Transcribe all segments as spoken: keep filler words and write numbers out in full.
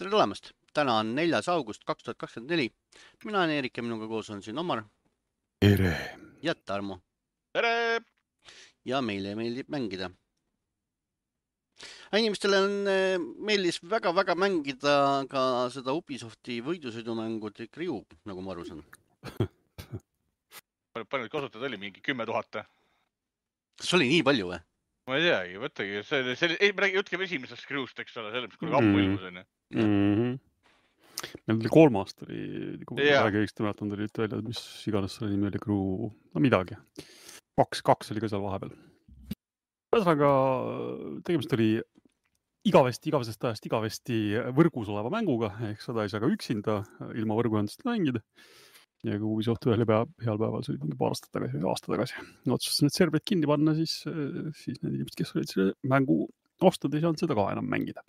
Tere tulemast! Täna on neljas august kaks tuhat kakskümmend neli. Mina olen Eerik ja minuga koos on siin Omar Tere! ja Tarmo. Tere! Ja meile meeldib mängida. Inimestele on meeldis väga-väga mängida ka seda Ubisofti võidusõidumängu The Crew, nagu ma aru saan. Palju kasutada oli? Mingi kümme tuhat? Kas oli nii palju või? Ma ei teagi, võttagi. See, see, ei, me räägi, jutkeme esimesest Crewst, eks ole, selle, mis kui ammu ilmus on. Mm-hmm. Meil oli kolmast oli, kui yeah. Väga õigesti mäletan, tuli üt välja, mis iganes selle nimi oli Crew, no midagi. Kaks, kaks oli ka seal vahepeal. Ühesõnaga, tegemist oli igavesti, igavesest ajast igavesti võrgus oleva mänguga, ehk seda ei saa ka üksinda ilma võrguühendust mängida. Ja kui Ubisoft ühel päev, heal päeval, see oli mingi paar aastat tagasi, aasta tagasi. Otsustasin need serverid kinni panna, siis, siis need inimesed, kes olid selle mängu ostad, ei saanud seda ka enam mängida.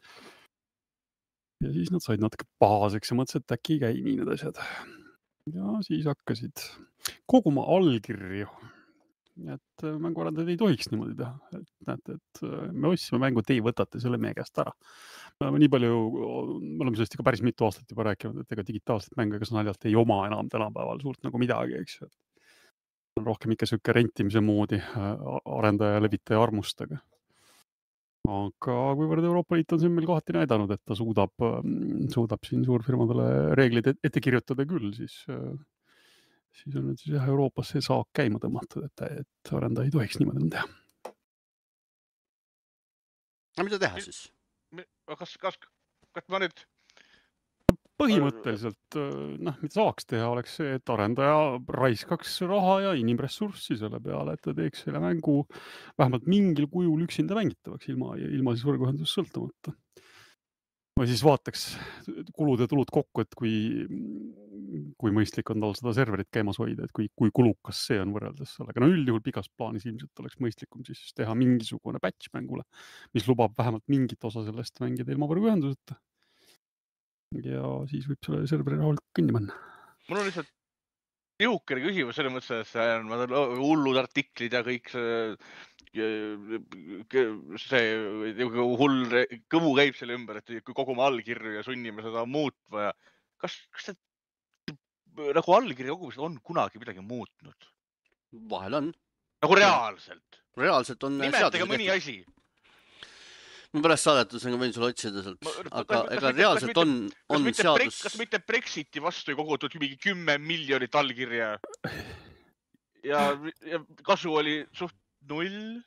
Ja siis nad said natuke pahaseks ja mõtlesid, et äkki ei käi nii need asjad. Ja siis hakkasid koguma allkirju. Et mänguarendajad ei tohiks niimoodi teha. Et näete, et me ostsime mängu, et ei võtate selle meie käest ära. Me oleme nii palju, me oleme sellest ikka päris mitu aastat juba rääkinud, et ega digitaalset mängu, kas naljalt ei oma enam tänapäeval suurt nagu midagi, eks. On rohkem ikka söke rentimise moodi arendaja ja levitaja armustega. Aga kuivõrd Euroopa Liit on siin meil kohati näidanud, et ta suudab, suudab siin suurfirmadele reeglid ette kirjutada küll, siis, siis on nüüd siis jah, Euroopas see saak käima tõmmatud, et, et arendaja ei tohiks niimoodi teha. Aga mida teha siis? Kas, kas, kas ma nüüd... Põhimõtteliselt, noh, mida saaks teha, oleks see, et arendaja raiskaks raha ja inimressurssi selle peale, et ta teeks selle mängu vähemalt mingil kujul üksinda mängitavaks, ilma, ilma siis võrguühendusest sõltumata. Või siis vaataks kulud ja tulud kokku, et kui, kui mõistlik on tal seda serverit käimas hoida, et kui, kui kulukas see on võrreldes sellega. No üldjuhul pikas plaanis ilmselt oleks mõistlikum siis teha mingisugune patch mängule, mis lubab vähemalt mingit osa sellest mängida ilma võrguühenduseta. Ja siis võib selle serveri rahul kinni panna. Mul on lihtsalt jõukene küsimus selle mõttes, et ma olen hullud artiklid ja kõik see, see hull kõmu käib selle ümber, et kui kogume allkirju ja sunnime seda muutma. Ja kas, kas see nagu allkirja kogumised on kunagi midagi muutnud? Vahel on. Nagu reaalselt? Reaalselt on nimetage mõni asi. Ma pärast saadetusega võin sulle otsida sealt, aga ega reaalselt on, on seadus... Kas mitte Brexiti vastu ei kogutud mingi kümme miljonit allkirja? Ja, ja kasu oli suht null?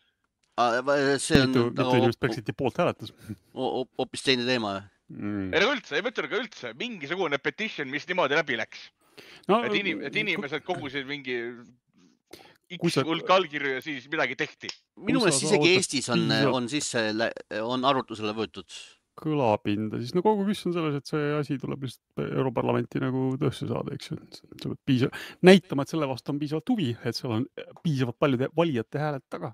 See on... Mitu, mitu inimest Brexiti poolt hääletas? Hoopis teine teema. Mm. Ei no üldse, ei mõtle ka üldse. Mingisugune petition, mis niimoodi läbi läks. No, et, inim, et inimesed kogusid mingi... X hulk allkirju ja siis midagi tehti. Minu meelest isegi Eestis on, on, sisse, on arvutusele võetud. Kõlapinda. Siis no kogu küsimus on selles, et see asi tuleb lihtsalt Europarlamenti nagu tõusse saada, eks ju. Piisav, näitama, et selle vastu on piisavalt huvi, et seal on piisavalt paljude valijate hääled taga.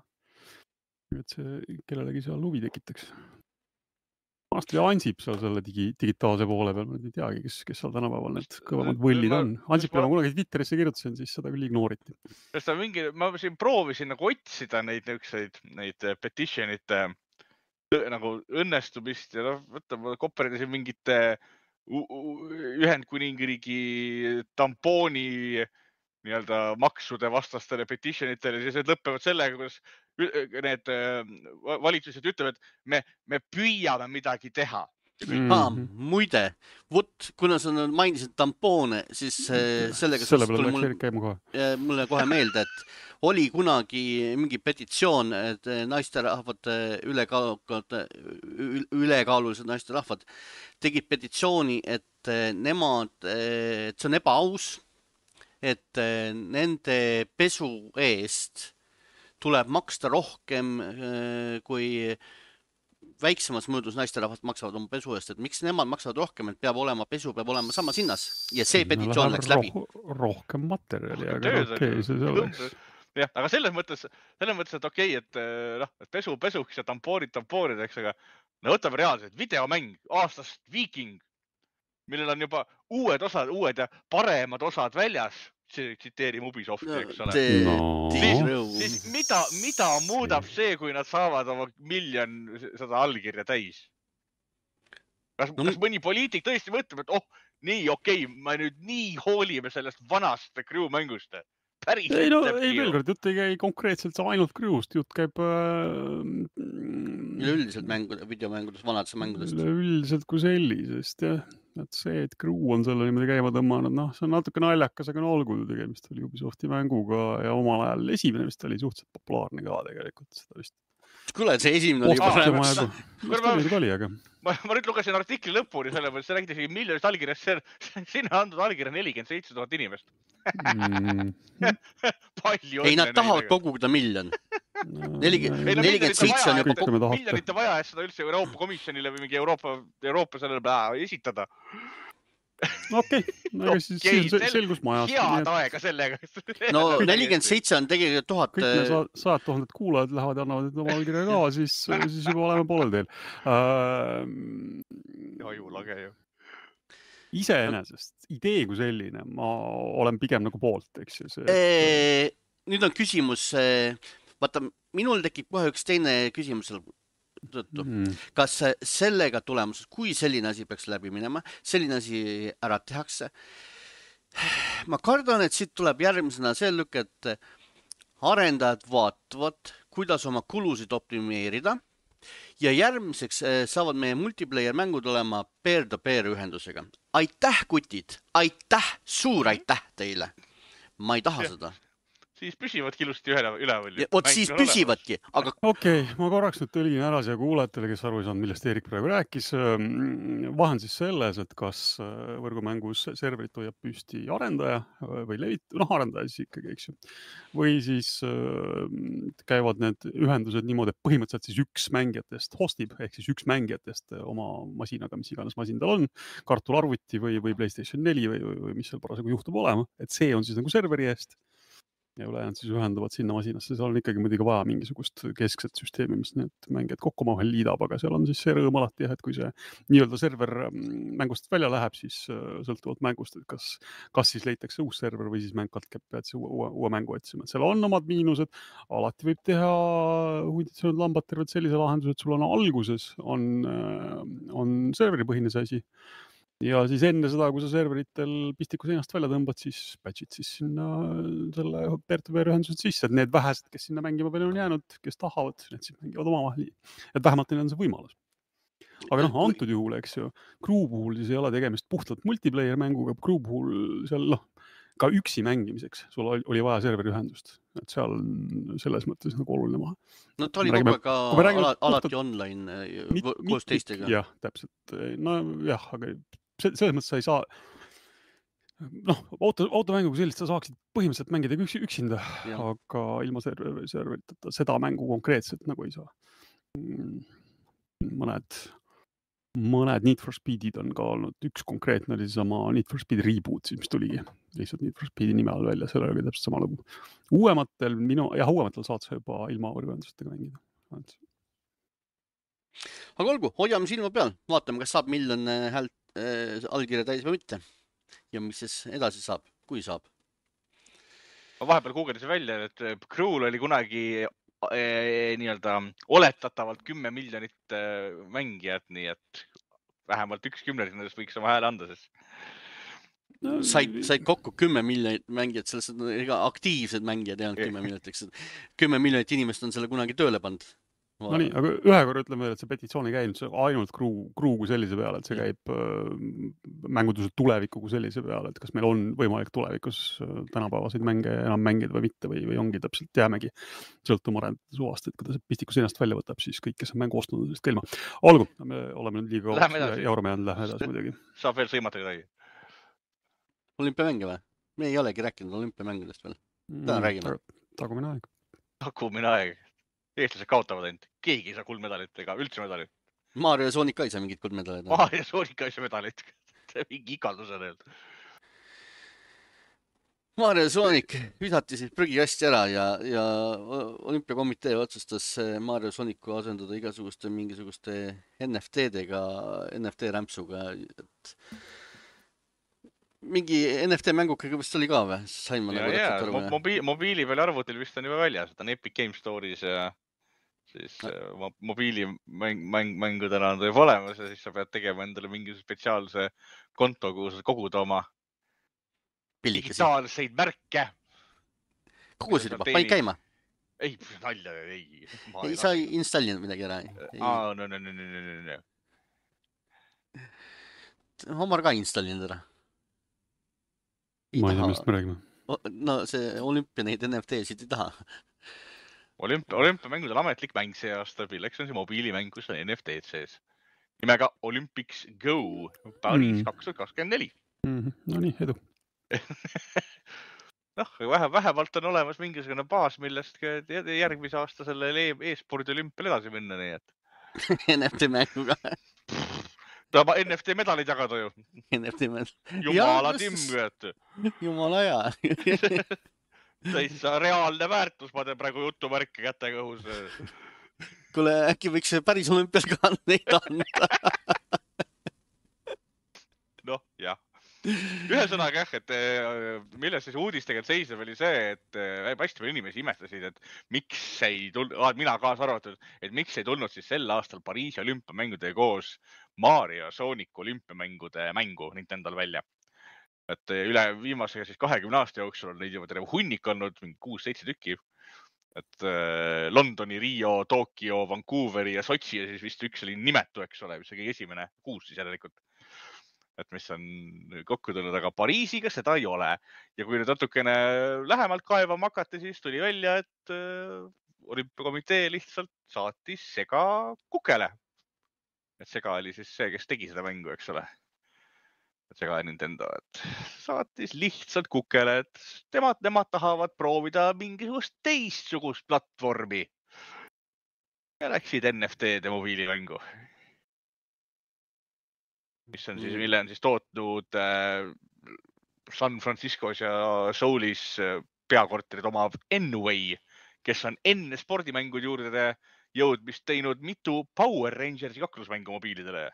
Et see kellelegi seal huvi tekitaks. Maast oli Ansip seal selle digi, digitaalse poole peal, ma ei teagi, kes, kes seal tänapäeval need kõvemad võllid on. Ansip, ma kunagi Twitterisse kirjutasin, siis seda küll ignooriti. Mingi, ma siin proovisin nagu otsida neid, neid petitionite nagu õnnestumist ja noh, võtta, ma koperidasin mingite Ühendkuningriigi tampooni nii-öelda maksude vastastele petitionitele, siis need lõppevad sellega, kuidas need valitsused ütlevad, et me, me püüame midagi teha. Mm-hmm. Ah, muide, võt, kuna sa mainisid tampoone, siis sellega selle peale mul, kohe. mulle kohe meelde, et oli kunagi mingi petitsioon, et naisterahvad, ülekaalukad, ülekaalulised naisterahvad tegid petitsiooni, et nemad, et see on ebaaus, et nende pesu eest tuleb maksta rohkem kui väiksemas mõõdus naisterahvad maksavad oma pesu eest, et miks nemad maksavad rohkem, et peab olema pesu, peab olema samas hinnas ja see petitsioon no, läks läbi. Roh rohkem materjali, aga okei, okay, see selleks. jah, aga selles mõttes, selles mõttes, et okei, okay, et, noh, et pesu pesuks ja tampoorid tampoorideks, aga no võtame reaalselt videomäng aastast Viking, millel on juba uued osad, uued ja paremad osad väljas, tsiteerim Ubisofti, eks ole. No. Siis, siis mida, mida muudab see, kui nad saavad oma miljon seda allkirja täis? kas, no, kas mõni poliitik tõesti mõtleb, et oh, nii okei okay,, me nüüd nii hoolime sellest vanast crew mängust. Päris ei, no, ei veel kord, jutt ei käi konkreetselt ainult crew'st, jutt käib äh, üleüldiselt mängudes, videomängudes, vanadesse mängudest. Üleüldiselt kui sellisest, jah. Et see, et crew on selle niimoodi käima tõmmanud, noh, see on natuke naljakas, aga no olgu tegemist oli Ubisofti mänguga ja omal ajal esimene vist oli suhteliselt populaarne ka tegelikult. Seda vist kuule, see esimene oli juba praegu. Mis oli, aga... Ma, ma nüüd lugesin artikli lõpuni, selle mõttes see räägiti isegi miljonist allkirjast, sinna andnud allkirja nelikümmend seitse tuhat inimest. Mm. Palju ei, nad tahavad koguda miljon. nelikümmend seitse on juba kogu... Miljonite vaja, et seda üldse Euroopa Komisjonile või mingi Euroopa, Euroopa sellele pää esitada. Okei, aga siis okay, sel, selgus majast. Head aega sellega. No nelikümmend seitse on tegelikult tuhat... Kõik me sajad tuhanded kuulajad lähevad ja annavad oma allkirja ka, siis, siis juba oleme poolel teel. Uh, ja ju lage ju. Iseenesest, idee kui selline, ma olen pigem nagu poolt, eks ju. See, et... Nüüd on küsimus, vaata, minul tekib kohe üks teine küsimus tõttu. Mm. Kas sellega tulemuses, kui selline asi peaks läbi minema, selline asi ära tehakse, ma kardan, et siit tuleb järgmisena see lükk, et arendajad vaatavad, kuidas oma kulusid optimeerida ja järgmiseks saavad meie multiplayer mängud olema peer-to-peer ühendusega. Aitäh, kutid! Aitäh! Suur aitäh teile! Ma ei taha ja. Seda. Siis püsivadki ilusti üleval. Vot siis püsivadki, aga... Okei, okay, ma korraks nüüd tõlgin ära siia kuulajatele, kes aru ei saanud, millest Erik praegu rääkis. Vahe on siis selles, et kas võrgumängus serverit hoiab püsti arendaja või levit... noh, arendaja siis ikkagi, eks ju. Või siis käivad need ühendused niimoodi, et põhimõtteliselt siis üks mängijatest hostib, ehk siis üks mängijatest oma masinaga, mis iganes masin tal on, kartularvuti või, või PlayStation neli või, või, või mis seal parasjagu juhtub olema. Et see on siis nagu serveri eest. Ja ülejäänud siis ühenduvad sinna masinasse. Seal on ikkagi muidugi vaja mingisugust keskset süsteemi, mis need mängijad kokku omavahel liidab, aga seal on siis see rõõm alati, et kui see nii-öelda server mängust välja läheb, siis sõltuvalt mängust, et kas, kas siis leitakse uus server või siis mäng katkeb, pead see uue, uue mängu otsima. Seal on omad miinused, alati võib teha hunditsõnud lambad terved sellise lahenduse, et sul on alguses on, on serveripõhine see asi. Ja siis enne seda, kui sa serveritel pistiku seinast välja tõmbad, siis patchid siis sinna selle peer-to-peer ühendused sisse, et need vähesed, kes sinna mängima palju on jäänud, kes tahavad, need siis mängivad omavahel. Et vähemalt neil on see võimalus. Aga noh, antud juhul, eks ju, crew puhul siis ei ole tegemist puhtalt multiplayer mänguga, crew puhul seal, noh, ka üksi mängimiseks sul oli vaja serveri ühendust. Et seal on selles mõttes nagu oluline maha. No ta oli kogu aeg ka alati online koos teistega. Jah, täpselt. No jah, aga selles mõttes sa ei saa, noh, auto, automängu kui sellist sa saaksid põhimõtteliselt mängida üks, üksinda, ja. Aga ilma serveri, serveriteta seda mängu konkreetselt nagu ei saa. Mõned, mõned Need for Speedid on ka olnud, üks konkreetne oli sama Need for Speed Reboot, mis tuligi lihtsalt Need for Speedi nime all välja, selle oli täpselt sama lugu. Uuematel, minu, jah, uuematel saad sa juba ilma võrguendustega mängida. Aga olgu, hoiame silma peal, vaatame, kas saab miljon häält äh, allkirja täis või mitte. Ja mis siis edasi saab, kui saab? Ma vahepeal googlesin välja, et Crew'l oli kunagi äh, nii-öelda oletatavalt kümme miljonit äh, mängijat, nii et vähemalt üks kümnelik nendest võiks oma hääle anda, sest no, said, said kokku kümme miljonit mängijat, sellest on ega aktiivsed mängijad ei olnud kümme miljonit, kümme miljonit inimest on selle kunagi tööle pand. No nii, aga ühe korra ütleme veel, et see petitsioon ei käinud ainult crew, crew kui sellise peale, et see käib äh, mänguduse tuleviku kui sellise peale, et kas meil on võimalik tulevikus äh, tänapäevaseid mänge enam mängida või mitte või, või ongi täpselt jäämegi sõltuma arendajate suvast, et kui ta see pistiku seinast välja võtab, siis kõik, kes on mängu ostnud, sellest kelma. Olgu, me oleme nüüd liiga jaurame jäänud, lähme edasi muidugi. Saab veel sõimata kedagi. Olümpiamänge või? Me ei olegi rääkinud olümpiamängudest veel. Täna mm, räägime. Tagumine aeg. Tagumine aeg. Eestlased kaotavad ainult. Keegi ei saa kuldmedalit ega üldse medalit. Mario ja Sonic ka ei saa mingit kuldmedalit. Mario ja Sonic ka ei saa medalit. See mingi ikaldus on öelnud. Mario ja Sonic visati siis prügikasti ära ja, ja olümpiakomitee otsustas Mario ja Sonicu asendada igasuguste mingisuguste N F T-dega, N F T-rämpsuga. Et mingi N F T-mängukaga vist oli ka või? Sain ma ja, nagu ja, mobiili, mobiili peal arvutil vist on juba väljas. Ta on Epic Game Store'is ja siis äh, mobiilimängudena on tõeb olemas ja siis sa pead tegema endale mingi spetsiaalse konto, kuhu sa kogud oma Pillikesi. digitaalseid märke. Kogusid juba, paid käima? Ei, nalja, ei. Ei, sa ei installinud midagi ära? Aa, no, no, no, no, no, no. Omar ka installinud ära. Ma ei tea, millest me räägime. No see olümpia neid N F T-sid ei taha. Olümpia, olümpiamängud on ametlik mäng see aasta. Milleks on see mobiilimäng, kus on N F T-d sees. Nimega Olympics Go Paris kaks tuhat kakskümmend neli. No nii, edu. noh, vähe, vähemalt on olemas mingisugune baas, millest järgmise aasta selle e-spordi olümpial edasi minna, nii et. N F T mänguga. Tahab N F T medalid jagada ju. N F T medalid. Jumala timm, Jumala hea. Täitsa reaalne väärtus, ma teen praegu jutumärke kätega õhus. Kuule, äkki võiks päris olümpial ka neid anda. noh, jah. Ühesõnaga jah, et milles siis uudis tegelikult seisab oli see, et hästi palju inimesi imestasid, et miks ei tulnud, mina kaasa arvatud, et miks ei tulnud siis sel aastal Pariisi olümpiamängudega koos Mario Sonic olümpiamängude mängu Nintendol välja. Et üle viimasega siis kahekümne aasta jooksul on neid juba terve hunnik olnud, mingi kuus-seitse tükki. Et Londoni, Rio, Tokyo, Vancouveri ja Sotši ja siis vist üks oli nimetu, eks ole, mis oli esimene kuus siis järelikult. Et mis on kokku tulnud, aga Pariisiga seda ei ole. Ja kui nüüd natukene lähemalt kaevama hakati, siis tuli välja, et olümpiakomitee lihtsalt saatis Sega kukele. Et Sega oli siis see, kes tegi seda mängu, eks ole. Et Sega ja Nintendo, et saatis lihtsalt kukele, et temad, nemad tahavad proovida mingisugust teistsugust platvormi. Ja läksid N F T-de mobiilimängu. Mis on siis, mille on siis tootnud San Franciscos ja Soulis peakorterid omav N-Way, kes on enne spordimängude juurde jõudmist teinud mitu Power Rangersi kaklusmängu mobiilidele.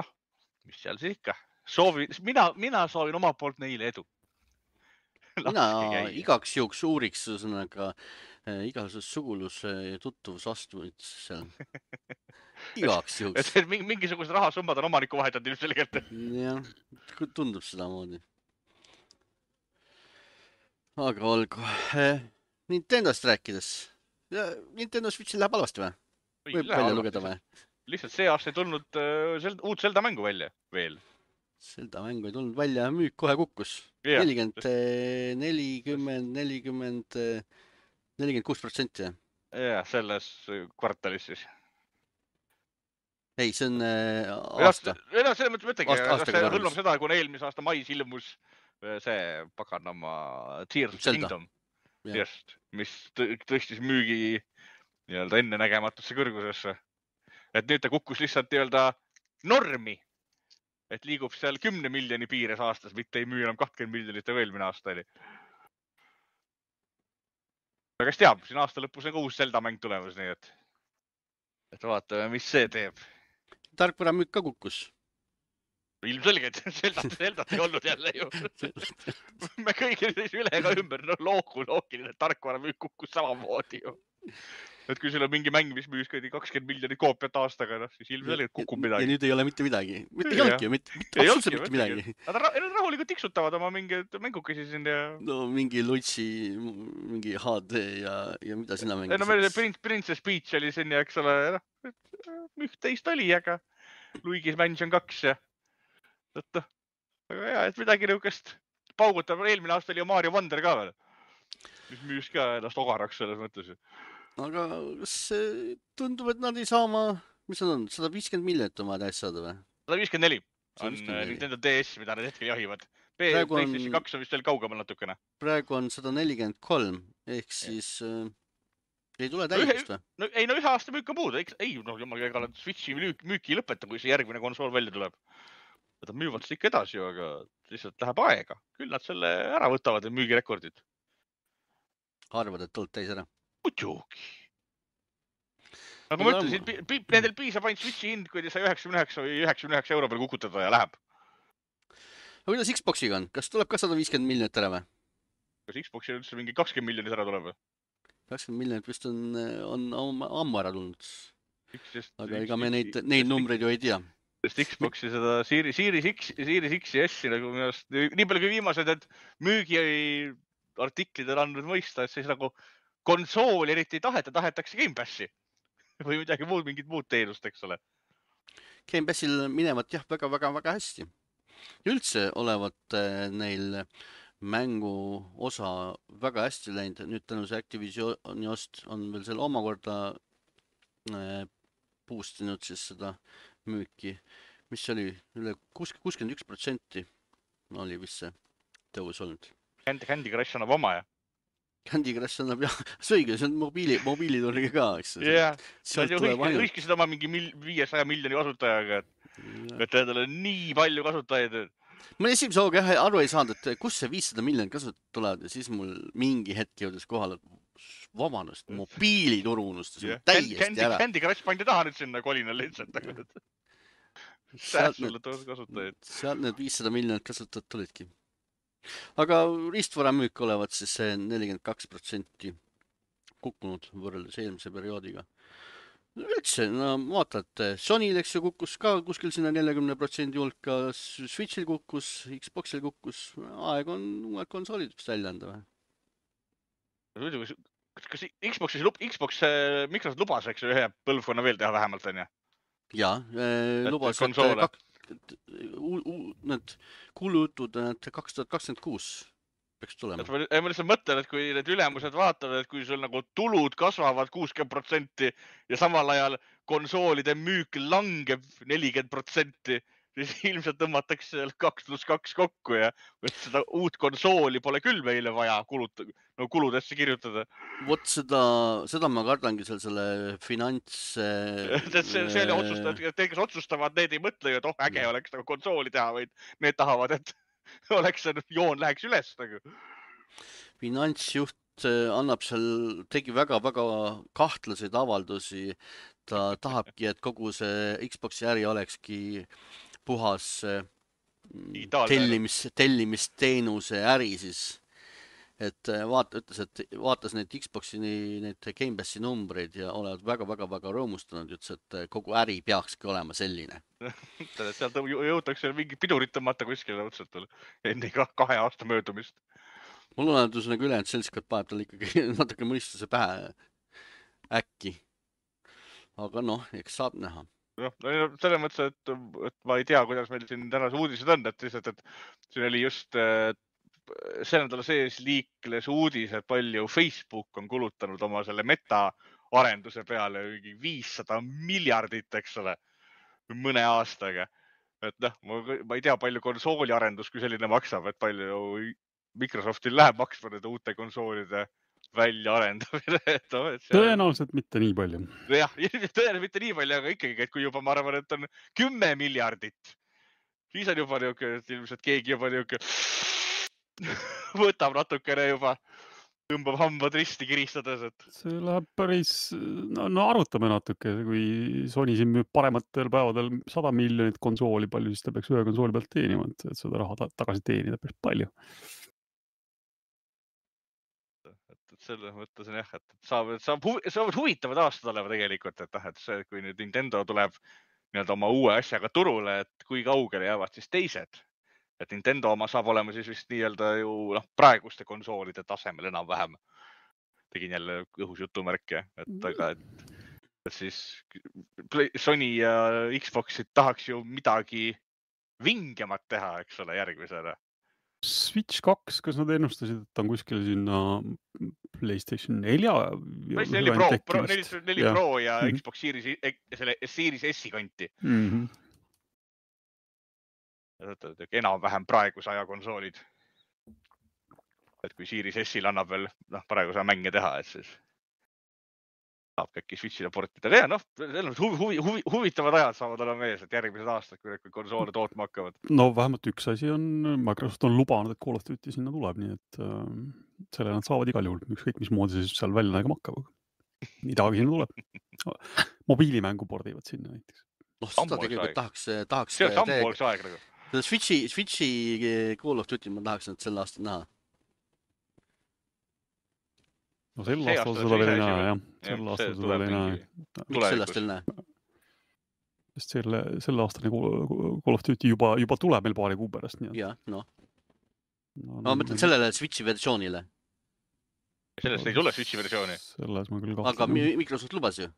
noh, mis seal siis ikka? Soovi, mina, mina soovin oma poolt neile edu. mina igaks juhuks uuriks sõnaga igasugust suguluse ja tuttuvusastmeid seal. Igaks juhuks. Et mingisugused rahasummad on omaniku vahetanud ilmselgelt. jah, tundub seda moodi. Aga olgu. Nintendost rääkides. Nintendo Switchi läheb halvasti või? Võib välja lugeda või? Lihtsalt see aasta ei tulnud uut Zelda mängu välja veel. Zelda mängu ei tulnud välja, müük kohe kukkus. nelikümmend, nelikümmend, nelikümmend, nelikümmend kuus protsenti. jah, selles kvartalis siis. Ei, see on aasta. Ei, no selle mõttes mõtlegi, kas see hõlmab seda, kui eelmise aasta mais ilmus see paganama Tears of the Kingdom. Just, mis tõstis müügi nii-öelda enne nägematusse kõrgusesse. Et nüüd ta kukkus lihtsalt nii-öelda normi. Et liigub seal kümne miljoni piires aastas, mitte ei müü enam kakskümmend miljonit ja eelmine aasta oli. Aga kes teab, siin aasta lõpus on ka uus Zelda mäng tulemas, nii et, et vaatame, mis see teeb. Tarkvara müük ka kukkus. Ilmselgelt, Zeldat, Zeldat ei olnud jälle ju. Me kõigi üle ka ümber, no loogu loogiline, tarkvara müük kukkus samamoodi ju. Et kui sul on mingi mäng, mis müüs kakskümmend miljonit koopiat aastaga, no, siis ilmselgelt kukub midagi. Ja nüüd ei ole mitte midagi. Mitte ei olnudki, mitte absoluutselt mitte midagi. Nad rahulikult tiksutavad oma mingi mängukesi siin ja... No mingi Lutsi, mingi H D ja, ja mida sina mängisid? No meil Princess Peach oli siin ja eks ole, üht teist oli, aga Luigi's Mansion kaks ja... Aga hea, et midagi niukest paugutab. Eelmine aasta oli ju Mario Wonder ka veel, mis müüs ka ennast ogaraks selles mõttes. Aga kas tundub, et nad ei saa oma, mis nad on, sada viiskümmend miljonit oma täis saada või? sada viiskümmend neli on Nintendo D S, mida nad hetkel jahivad. PlayStation kaks on vist veel kaugemal natukene. Praegu on sada nelikümmend kolm, ehk siis äh, ei tule täiust või? No, ei, no ühe aasta müük on puudu. Ei, no jumal, ega nad Switchi müüki ei lõpeta, kui see järgmine konsool välja tuleb. Nad müüvad seda ikka edasi ju, aga lihtsalt läheb aega. Küll nad selle ära võtavad ja müügirekordid. Arvad, et tuld täis ära? Muidugi. Nagu ma ütlesin, nendel piisab ainult Switchi hind, kui te sai üheksakümmend üheksa või üheksakümmend üheksa euro peal kukutada ja läheb. Aga kuidas Xboxiga on? Kas tuleb ka sada viiskümmend miljonit ära või? Kas Xboxil üldse mingi kakskümmend miljonit ära tuleb või? kakskümmend miljonit vist on, on, on ammu ära tulnud. Just, aga üks, ega me üks, neid, neid numbreid ju ei tea. Sest Xboxi seda Series, Series X, Series X ja S-i nagu minu arust, nii palju kui viimased need müügi artiklid on andnud mõista, et siis nagu konsooli eriti ei taheta, tahetakse Game Passi või midagi muud, mingit muud teenust, eks ole. Game Passil minevat jah, väga, väga, väga hästi. Üldse olevat neil mängu osa väga hästi läinud. Nüüd tänu see Activisioni ost on veel selle omakorda boostinud siis seda müüki, mis oli üle kuuskümmend üks protsenti oli vist see tõus olnud. Candy, Candy Crush annab oma, ja? Candy Crush annab, jah, see õige, see on mobiili, mobiiliturgi ka, eks. jah, nad ju hõiskisid oma mingi viiesaja miljoni kasutajaga, et, et endale nii palju kasutajaid. Ma esimese hooga jah aru ei saanud, et kus see viissada miljonit kasutajat tulevad ja siis mul mingi hetk jõudes kohale, vabandust, mobiilituru unustas yeah. täiesti Candy, ära. Candy Crush pandi taha nüüd sinna kolinal lihtsalt. Sealt sulle kasutajaid. Sealt need viissada miljonit kasutajat tulidki. Aga riistvara müük olevat siis see nelikümmend kaks protsenti kukkunud võrreldes eelmise perioodiga. Üldse, no vaatad, Sonyl eks ju kukkus ka kuskil sinna neljakümne protsendi hulka, Switchil kukkus, Xboxil kukkus, aeg on uued konsoolid vist välja anda või? Kas Xboxis, Xbox, Microsoft lubas, eks ju, ühe põlvkonna veel teha vähemalt, on ja? Jaa, lubas, et, et need kulutud kaks tuhat kakskümmend kuus peaks tulema. Ma lihtsalt mõtlen, et kui need ülemused vaatavad, et kui sul nagu tulud kasvavad kuuskümmend protsenti ja samal ajal konsoolide müük langeb nelikümmend protsenti, siis ilmselt tõmmatakse kaks pluss kaks kokku ja seda uut konsooli pole küll meile vaja kulut, no kuludesse kirjutada. Vot seda, seda ma kardangi seal selle finants... see, see oli otsustajad, kes otsustavad, need ei mõtle, et oh, äge oleks nagu konsooli teha, vaid need tahavad, et oleks see joon läheks üles. Nagu. Finantsjuht annab seal, tegi väga-väga kahtlaseid avaldusi. Ta tahabki, et kogu see Xboxi äri olekski puhas tellimis, tellimisteenuse äri siis. Et vaata, ütles, et vaatas need Xboxi need Game Passi numbreid ja olevad väga-väga-väga rõõmustanud, ütles, et kogu äri peakski olema selline. Sealt jõutakse mingi pidurit tõmmata kuskile otsetul enne kahe aasta möödumist. Mul on üldus nagu ülejäänud seltskond paneb tal ikkagi natuke mõistuse pähe äkki. Aga noh, eks saab näha. No, selles mõttes, et, et ma ei tea, kuidas meil siin tänase uudised on, et lihtsalt, et siin oli just see nädala sees liikles uudis, et palju Facebook on kulutanud oma selle meta arenduse peale viissada miljardit, eks ole, mõne aastaga. Et noh, ma ei tea, palju konsooli arendus, kui selline maksab, et palju Microsoftil läheb maksma nende uute konsoolide välja arendamine. Tõenäoliselt mitte nii palju. Jah, tõenäoliselt mitte nii palju, aga ikkagi, et kui juba ma arvan, et on kümme miljardit, siis on juba niuke, et ilmselt keegi juba niuke võtab natukene juba, tõmbab hambad risti kiristades. Et... See läheb päris, no, no arutame natuke, kui Sony siin müüb parematel päevadel sada miljonit konsooli palju, siis ta peaks ühe konsooli pealt teenima, et seda raha tagasi teenida päris palju. Selles mõttes on jah, et saavad, saavad huvitavad aastad olema tegelikult, et, et see, kui nüüd Nintendo tuleb nii-öelda oma uue asjaga turule, et kui kaugele jäävad siis teised. Et Nintendo oma saab olema siis vist nii-öelda ju noh, praeguste konsoolide tasemel enam-vähem. Tegin jälle õhus jutumärke, et aga et, et siis Sony ja Xboxid tahaks ju midagi vingemat teha, eks ole, järgmisena. Switch kaks, kas nad ennustasid, et on kuskil sinna PlayStation nelja? neli Pro, Pro, neli Pro ja mm -hmm. Xbox Series, selle Series S-i kanti. Mm -hmm. Enam-vähem praeguse aja konsoolid. Et kui Series S-il annab veel noh, praegu saa mänge teha, et siis saab äkki Switchile portida. Ja noh, huvi, huvi, huvi, huvitavad ajad saavad olema ees, et järgmised aastad, kui konsoole tootma hakkavad. No vähemalt üks asi on, Microsoft on lubanud, et Call of Duty sinna tuleb, nii et äh, selle nad saavad igal juhul, ükskõik mis moodi see seal välja nägema hakkab. Midagi sinna tuleb. Mobiilimängu pordivad sinna näiteks. noh, seda tegelikult tahaks, tahaks see on sampoolks aeg nagu. Switchi, Switchi Call of Duty ma tahaks nüüd selle aasta näha. no sel aastal seda veel ei näe, jah. Sel aastal seda veel ei näe. Miks sel aastal näe? Sest selle, selle aastane Call of Duty juba, juba tuleb meil paari kuu pärast. Nii. Ja, no. No, ma mõtlen sellele Switchi versioonile. Sellest ei tule Switchi versiooni. Selles ma küll kahtlen. Aga Microsoft lubas ju.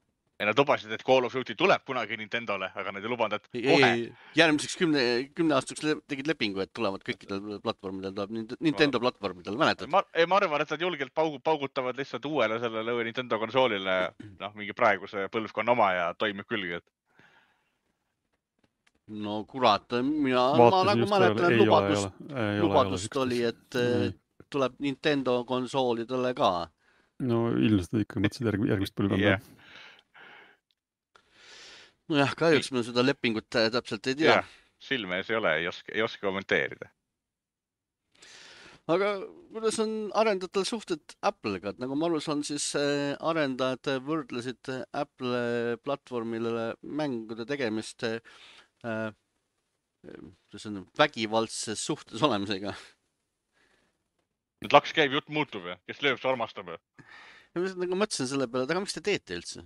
Ja nad lubasid, et Call of Duty tuleb kunagi Nintendole, aga nad ei lubanud, et ei, kohe. Järgmiseks kümne, kümne aastaks tegid lepingu, et tulevad kõikidel platvormidel, tuleb Nintendo platvormidel, mäletad? Ma, ei, ma arvan, et nad julgelt paugutavad lihtsalt uuele sellele Nintendo konsoolile, noh, mingi praeguse põlvkonna oma ja toimib külgi, et no kurat, mina ma, nagu mäletan, lubadust, ole, ole, lubadust ole, oli, et ei. Tuleb Nintendo konsoolidele ka. No ilmselt ikka mõtlesid järg, järgmist põlvkonda. Yeah. Nojah, kahjuks me seda lepingut täpselt ei tea. Yeah. Silme ees ei ole, ei oska, ei oska kommenteerida. Aga kuidas on arendajatel suhted Apple'ga? Nagu ma aru saan, siis arendajad võrdlesid Apple platvormile mängude tegemist Äh, see on vägivaldses suhtes olemisega. Nüüd laks käib, jutt muutub ja kes lööb, see armastab. Ja ma nagu mõtlesin selle peale, et aga miks te teete üldse?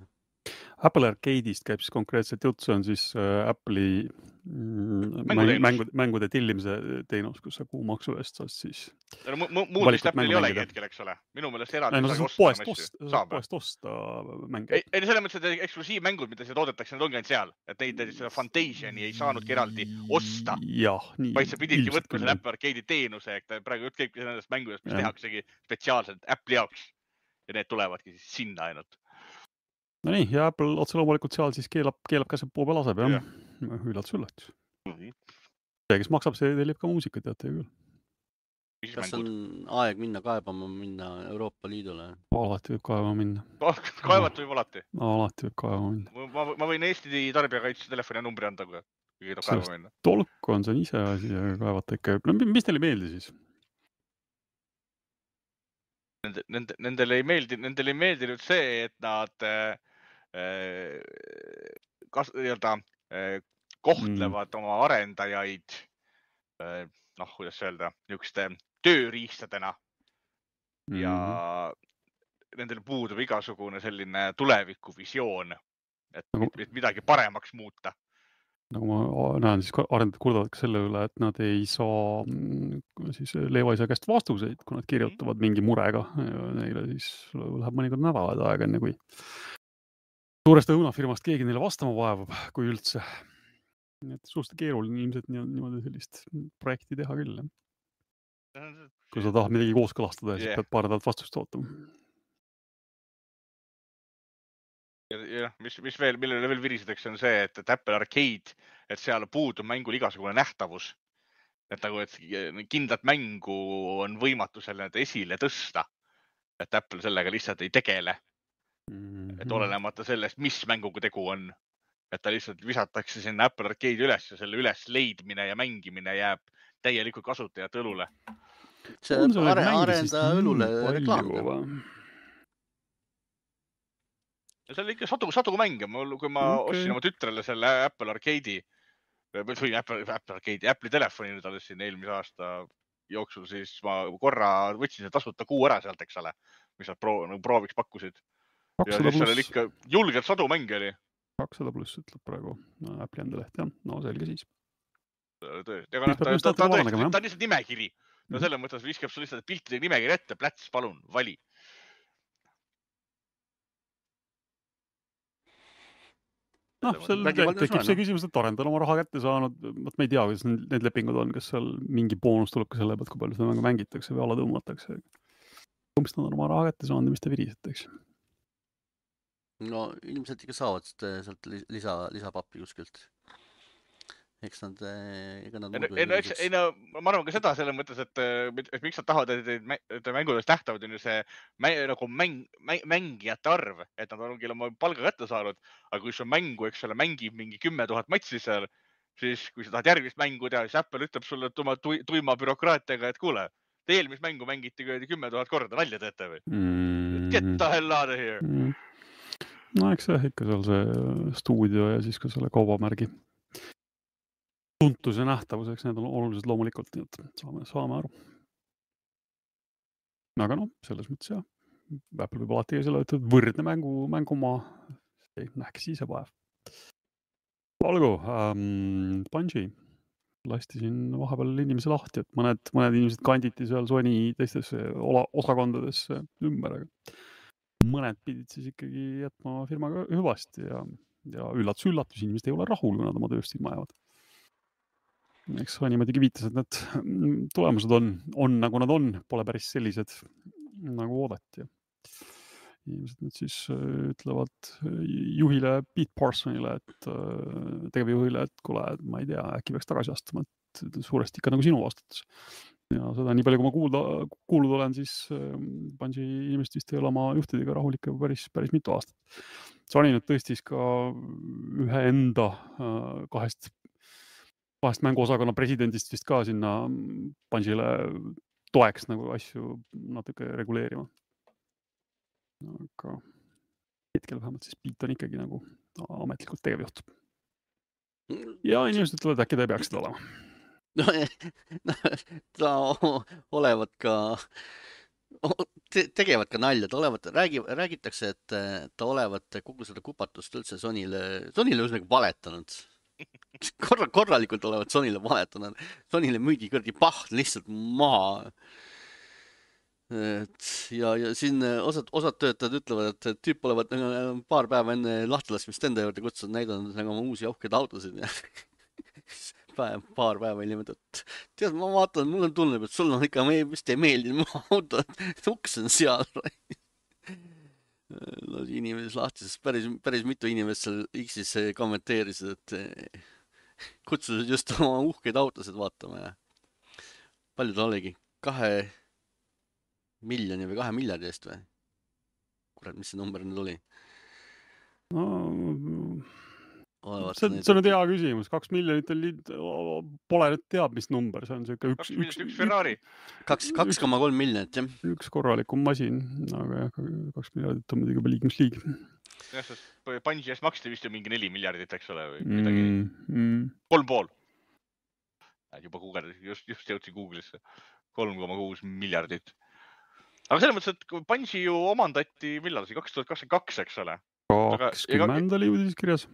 Apple Arcade'ist käib siis konkreetselt jutt, see on siis Apple'i mängude, mängude, mängude tillimise teenus, kus sa kuu maksu eest saad siis muud vist Apple'il ei olegi hetkel, eks ole. Minu meelest eraldi no, saagi poest osta. Saab poest osta mänge. Ei, ei selle mõttes, et eksklusiivmängud, mida see toodetakse, need ongi ainult seal. Et neid seda Fantasiani ei saanudki eraldi osta. Jah, nii. Vaid sa pididki võtma selle Apple Arcade'i teenuse, et praegu jutt käibki nendest mängudest, mis tehaksegi spetsiaalselt Apple'i jaoks. Ja need tulevadki siis sinna ainult. No nii, ja Apple otse loomulikult seal siis keelab, keelab käseb puu peal aseb, jah. Ja. Üllatus, üllatus. Mm-hmm. See, kes maksab, see tellib ka muusika, teate küll. Kas on aeg minna kaebama, minna Euroopa Liidule? Alati võib kaebama minna. Kaevat võib alati? Alati võib kaebama minna. Ma, ma võin Eesti tarbijakaitse telefoni numbri anda, kui kõige tuleb kaebama minna. Tolku on see ise asi ja kaevata ikka. No, mis teile meeldi siis? Nende, nendele ei meeldi, nendele ei meeldi nüüd see, et nad kas, nii-öelda, kohtlevad mm. oma arendajaid, noh, kuidas öelda, niisuguste tööriistadena mm. ja nendel puudub igasugune selline tulevikuvisioon, et, nagu, et midagi paremaks muuta. Nagu ma näen, siis arendajad kurdavad ka selle üle, et nad ei saa siis Leevaisa käest vastuseid, kui nad kirjutavad mingi murega. Ja neile siis läheb mõnikord nädalad aega, enne kui suurest õunafirmast keegi neile vastama vaevab, kui üldse. Et suust keeruline ilmselt niimoodi sellist projekti teha küll. Kui sa tahad midagi kooskõlastada, siis yeah. pead paar nädalat vastust ootama. Ja mis, mis veel, millele veel virisideks on see, et, et Apple Arcade, et seal puudub mängul igasugune nähtavus. Et nagu, et kindlat mängu on võimatu selle esile tõsta. Et Apple sellega lihtsalt ei tegele. Mm-hmm. Et olenemata sellest, mis mänguga tegu on. Et ta lihtsalt visatakse sinna Apple Arcade üles ja selle üles leidmine ja mängimine jääb täielikult kasutajate õlule. See on are, arenda õlule reklaam. Ja see oli ikka sadu, sadu mänge. Kui ma okay. ostsin oma tütrele selle Apple Arcade'i, või Apple, Apple Arcade'i, Apple'i telefoni nüüd alles siin eelmise aasta jooksul, siis ma korra võtsin see tasuta kuu ära sealt, eks ole, mis nad proo, nagu prooviks pakkusid. Ja siis seal oli ikka julgelt sadu mänge oli. kakssada pluss ütleb praegu no, Apple'i enda leht, jah. No selge siis. Tõesti. Aga noh, ta, ta, ta, ta, ta on lihtsalt nimekiri. No selle mõttes viskab sul lihtsalt piltide nimekiri ette. Pläts, palun, vali. Noh, seal tekib see küsimus, et arendajal oma raha kätte saanud. Ma ei tea, kuidas need lepingud on, kas seal mingi boonus tuleb ka selle pealt, kui palju seda mängu mängitakse või alla tõmmatakse. Kumst nad on oma raha kätte saanud ja mis te virisiteks? No ilmselt ikka saavad sealt lisa, lisapappi kuskilt. Eks nad, ega nad... Ei, no, eks, ei, no, ma arvan ka seda selles mõttes, et, et miks nad tahavad, et, et mängudest nähtavad on ju see nagu mäng, mängijate arv, et nad ongi oma palga kätte saanud, aga kui see mängu, eks ole, mängib mingi kümme tuhat matsi seal, siis kui sa tahad järgmist mängu teha, siis Apple ütleb sulle oma tuima bürokraatiaga, et kuule, te eelmist mängu mängiti kümme tuhat korda, nalja teete või? Mm. Get the hell out of here! Mm. No eks jah, ikka seal see stuudio ja siis ka selle kaubamärgi tuntus ja nähtavuseks, need on olulised loomulikult, nii et saame, saame aru. Aga noh, selles mõttes jah, Apple võib alati selle võtta võrdne mängu, mängumaa, nähke siis vaev. Olgu, ähm, Bungie lasti siin vahepeal inimese lahti, et mõned, mõned inimesed kanditi seal Sony teistes osakondades ümber, aga mõned pidid siis ikkagi jätma firmaga hüvasti ja, ja üllatus, üllatus, inimesed ei ole rahul, kui nad oma tööst ilma jäävad. Eks Sony muidugi viitas, et need tulemused on, on nagu nad on, pole päris sellised nagu oodati. Inimesed nüüd siis ütlevad juhile Pete Parsonile, et tegevjuhile, et kuule, ma ei tea, äkki peaks tagasi astuma, et suuresti ikka nagu sinu vastutus. Ja seda nii palju, kui ma kuulda, kuulud olen, siis Bungie inimesed vist ei ole oma juhtidega rahulik päris, päris mitu aastat. Sony nüüd tõstis ka ühe enda kahest, kahest mänguosakonna presidendist vist ka sinna Bungiele toeks nagu asju natuke reguleerima. Aga hetkel vähemalt siis Pete on ikkagi nagu ametlikult tegevjuht. Ja inimesed ütlevad, et äkki ta ei peaks seda olema. No, ta olevat ka, tegevad ka nalja, ta olevat, räägi, räägitakse, et ta olevat kogu seda kupatust üldse Sonyle, Sonyle üsnagi valetanud. Korra, korralikult olevat Sonyle valetanud. Sonyle müüdi kõrdi paht lihtsalt maha. Et ja, ja siin osad, osad töötajad ütlevad, et tüüp olevat paar päeva enne lahtilaskmist enda juurde kutsunud näidanud nagu oma uusi aukeid autosid ja päev, paar päeva hiljem, et tead, ma vaatan, mul on tunneb, et sul on ikka, vist ei meeldi mu auto, uks on seal. No, inimesed lahti, sest päris, päris mitu inimest seal X-is kommenteerisid, et kutsusid just oma uhkeid autosid vaatama ja palju ta oligi? Kahe miljoni või kahe miljardi eest või? Kurat, mis see number nüüd oli? No, see, see on nüüd hea küsimus. Kaks miljonit on, pole nüüd teab, mis number. See on see üks, kaks miljonit, üks Ferrari. Kaks, kaks koma kolm miljonit, jah. Üks korralikum masin, aga jah, kaks miljardit on muidugi liikmesliig. Jah, sest Bungie eest maksti vist ju mingi neli miljardit, eks ole, või midagi. Mm, mm. Kolm pool. Juba Google, just, just jõudsin Google'isse. kolm koma kuus miljardit. Aga selles mõttes, et Bungie ju omandati, millal see, kaks tuhat kakskümmend kaks, eks ole? kakskümmend oli uudis kirjas.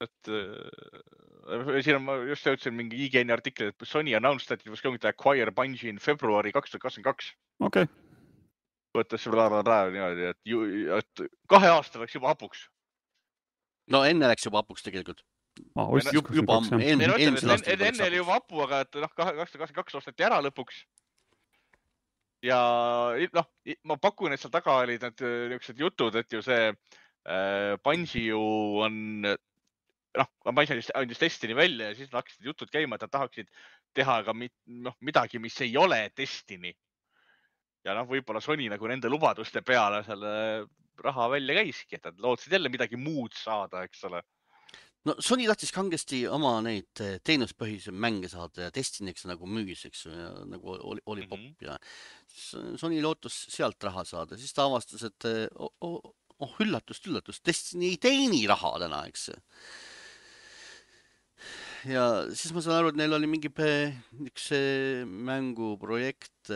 Et siin on, ma just jõudsin mingi I G N artikli, et Sony announced that it was going to acquire Bungie in February kaks tuhat kakskümmend kaks. Okei. Võttes niimoodi, et, ju, et kahe aasta läks juba hapuks. No enne läks juba hapuks tegelikult. Ah, juba, juba enne, enne, enne oli juba hapu, aga et noh, kaks tuhat kakskümmend kaks osteti ära lõpuks. Ja noh, ma pakun, et seal taga olid need niisugused jutud, et ju see äh, Bungie ju on, noh, Bungie andis Destiny välja ja siis hakkasid jutud käima, et nad tahaksid teha ka mit, noh, midagi, mis ei ole Destiny. Ja noh, võib-olla Sony nagu nende lubaduste peale selle raha välja käiski, et nad lootsid jälle midagi muud saada, eks ole. No Sony tahtis kangesti oma neid teenuspõhise mänge saada ja Destiny'ks nagu müüs, eks ja nagu oli, oli pop mm-hmm. ja Sony lootus sealt raha saada. Siis ta avastas, et oh, oh, oh üllatust, üllatust, Destiny ei teeni raha täna, eks. Ja siis ma saan aru, et neil oli mingi üks mänguprojekt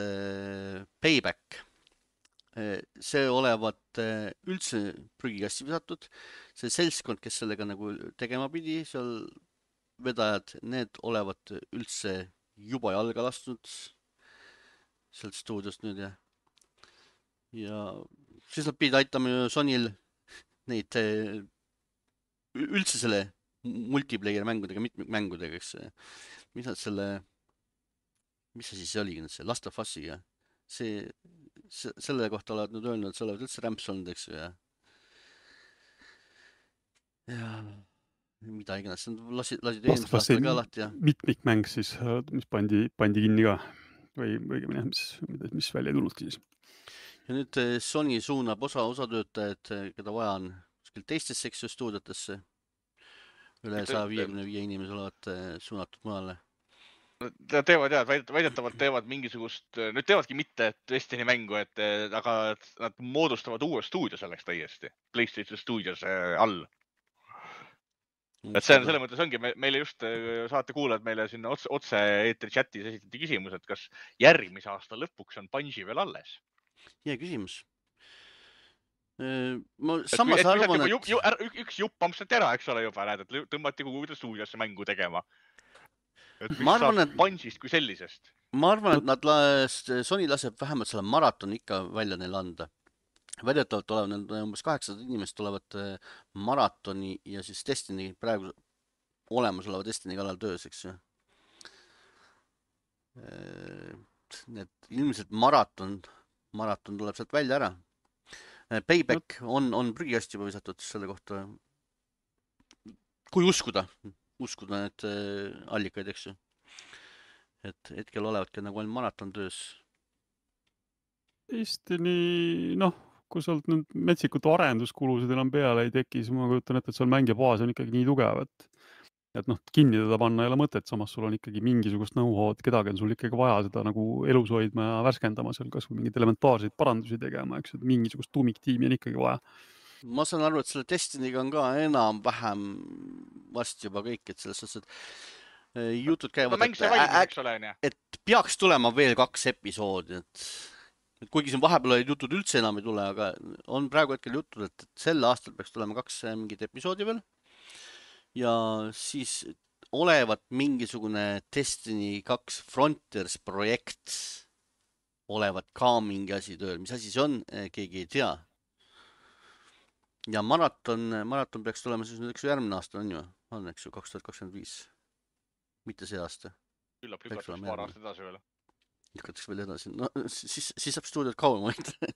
Payback. See olevat üldse prügikassi visatud. See seltskond, kes sellega nagu tegema pidi, seal vedajad, need olevat üldse juba jalga lastud sealt stuudiost nüüd ja ja siis nad pidid aitama Sonyl neid üldse selle multiplayer mängudega, mitmikmängudega, eks mis nad selle mis see siis oli, see Last of Us'iga see selle kohta oled nüüd öelnud, et sa oled üldse rämps olnud, eks ju, ja ja mida iganes, lasid, lasid eelmist aastal ka lahti, ja mitmikmäng siis, mis pandi, pandi kinni ka või õigemini, mis, mis välja ei tulnudki siis. Ja nüüd Sony suunab osa, osa töötajad, keda vaja on kuskil teistesse eks stuudiotesse, üle saja viiekümne viie inimese olevat suunatud mujale. Nad teevad jah, väidetavalt teevad mingisugust, nüüd teevadki mitte Destiny mängu, et aga nad moodustavad uue stuudio selleks täiesti, PlayStation Studios all. Et see on selle mõttes ongi, meile just saate kuulajad meile sinna otse, otse eetri chatis esitati küsimus, et kas järgmise aasta lõpuks on Bungie veel alles? Hea küsimus. Ma samas arvan, et... Ju, ju, üks jupp ampsati ära, eks ole juba, näed, et tõmmati kuhugi stuudiosse mängu tegema. Et mis arvan, saab et... Bungee'ist kui sellisest? Ma arvan, et nad las... Sony laseb vähemalt selle maraton ikka välja neil anda. Väidetavalt olevad need umbes kaheksasada inimest tulevad maratoni ja siis Destiny praegu olemasoleva Destiny kallal töös, eks ju. Need ilmselt maraton, maraton tuleb sealt välja ära. Payback on, on prügikast juba visatud selle kohta. Kui uskuda, uskuda need allikaid, eks ju. Et hetkel olevadki nagu ainult maraton töös. Destiny, noh, kui sealt nüüd metsikud arenduskulusid enam peale ei teki, siis ma kujutan ette, et seal mängija baas on ikkagi nii tugev, et, et noh, kinni teda panna ei ole mõtet, samas sul on ikkagi mingisugust know-how'd, kedagi on sul ikkagi vaja seda nagu elus hoidma ja värskendama seal, kas või mingid elementaarseid parandusi tegema, eks, et mingisugust tuumiktiimi on ikkagi vaja. Ma saan aru, et selle Destiny'ga on ka enam vähem varsti juba kõik, et selles suhtes, et jutud käivad, no, et, valmis, ä, ole, et peaks tulema veel kaks episoodi, et kuigi siin vahepeal olid jutud üldse enam ei tule, aga on praegu hetkel jutud, et sel aastal peaks tulema kaks mingit episoodi veel. Ja siis olevat mingisugune Destiny kaks Frontiers projekt olevat ka mingi asi tööl. Mis asi see on, keegi ei tea. Ja maraton, maraton peaks tulema siis nüüd, eks ju, järgmine aasta on ju, on, eks ju, kaks tuhat kakskümmend viis. Mitte see aasta. Küllap lükatakse paar aastat edasi veel. Lükatakse veel edasi. No, siis, siis saab stuudiot kauem hoida.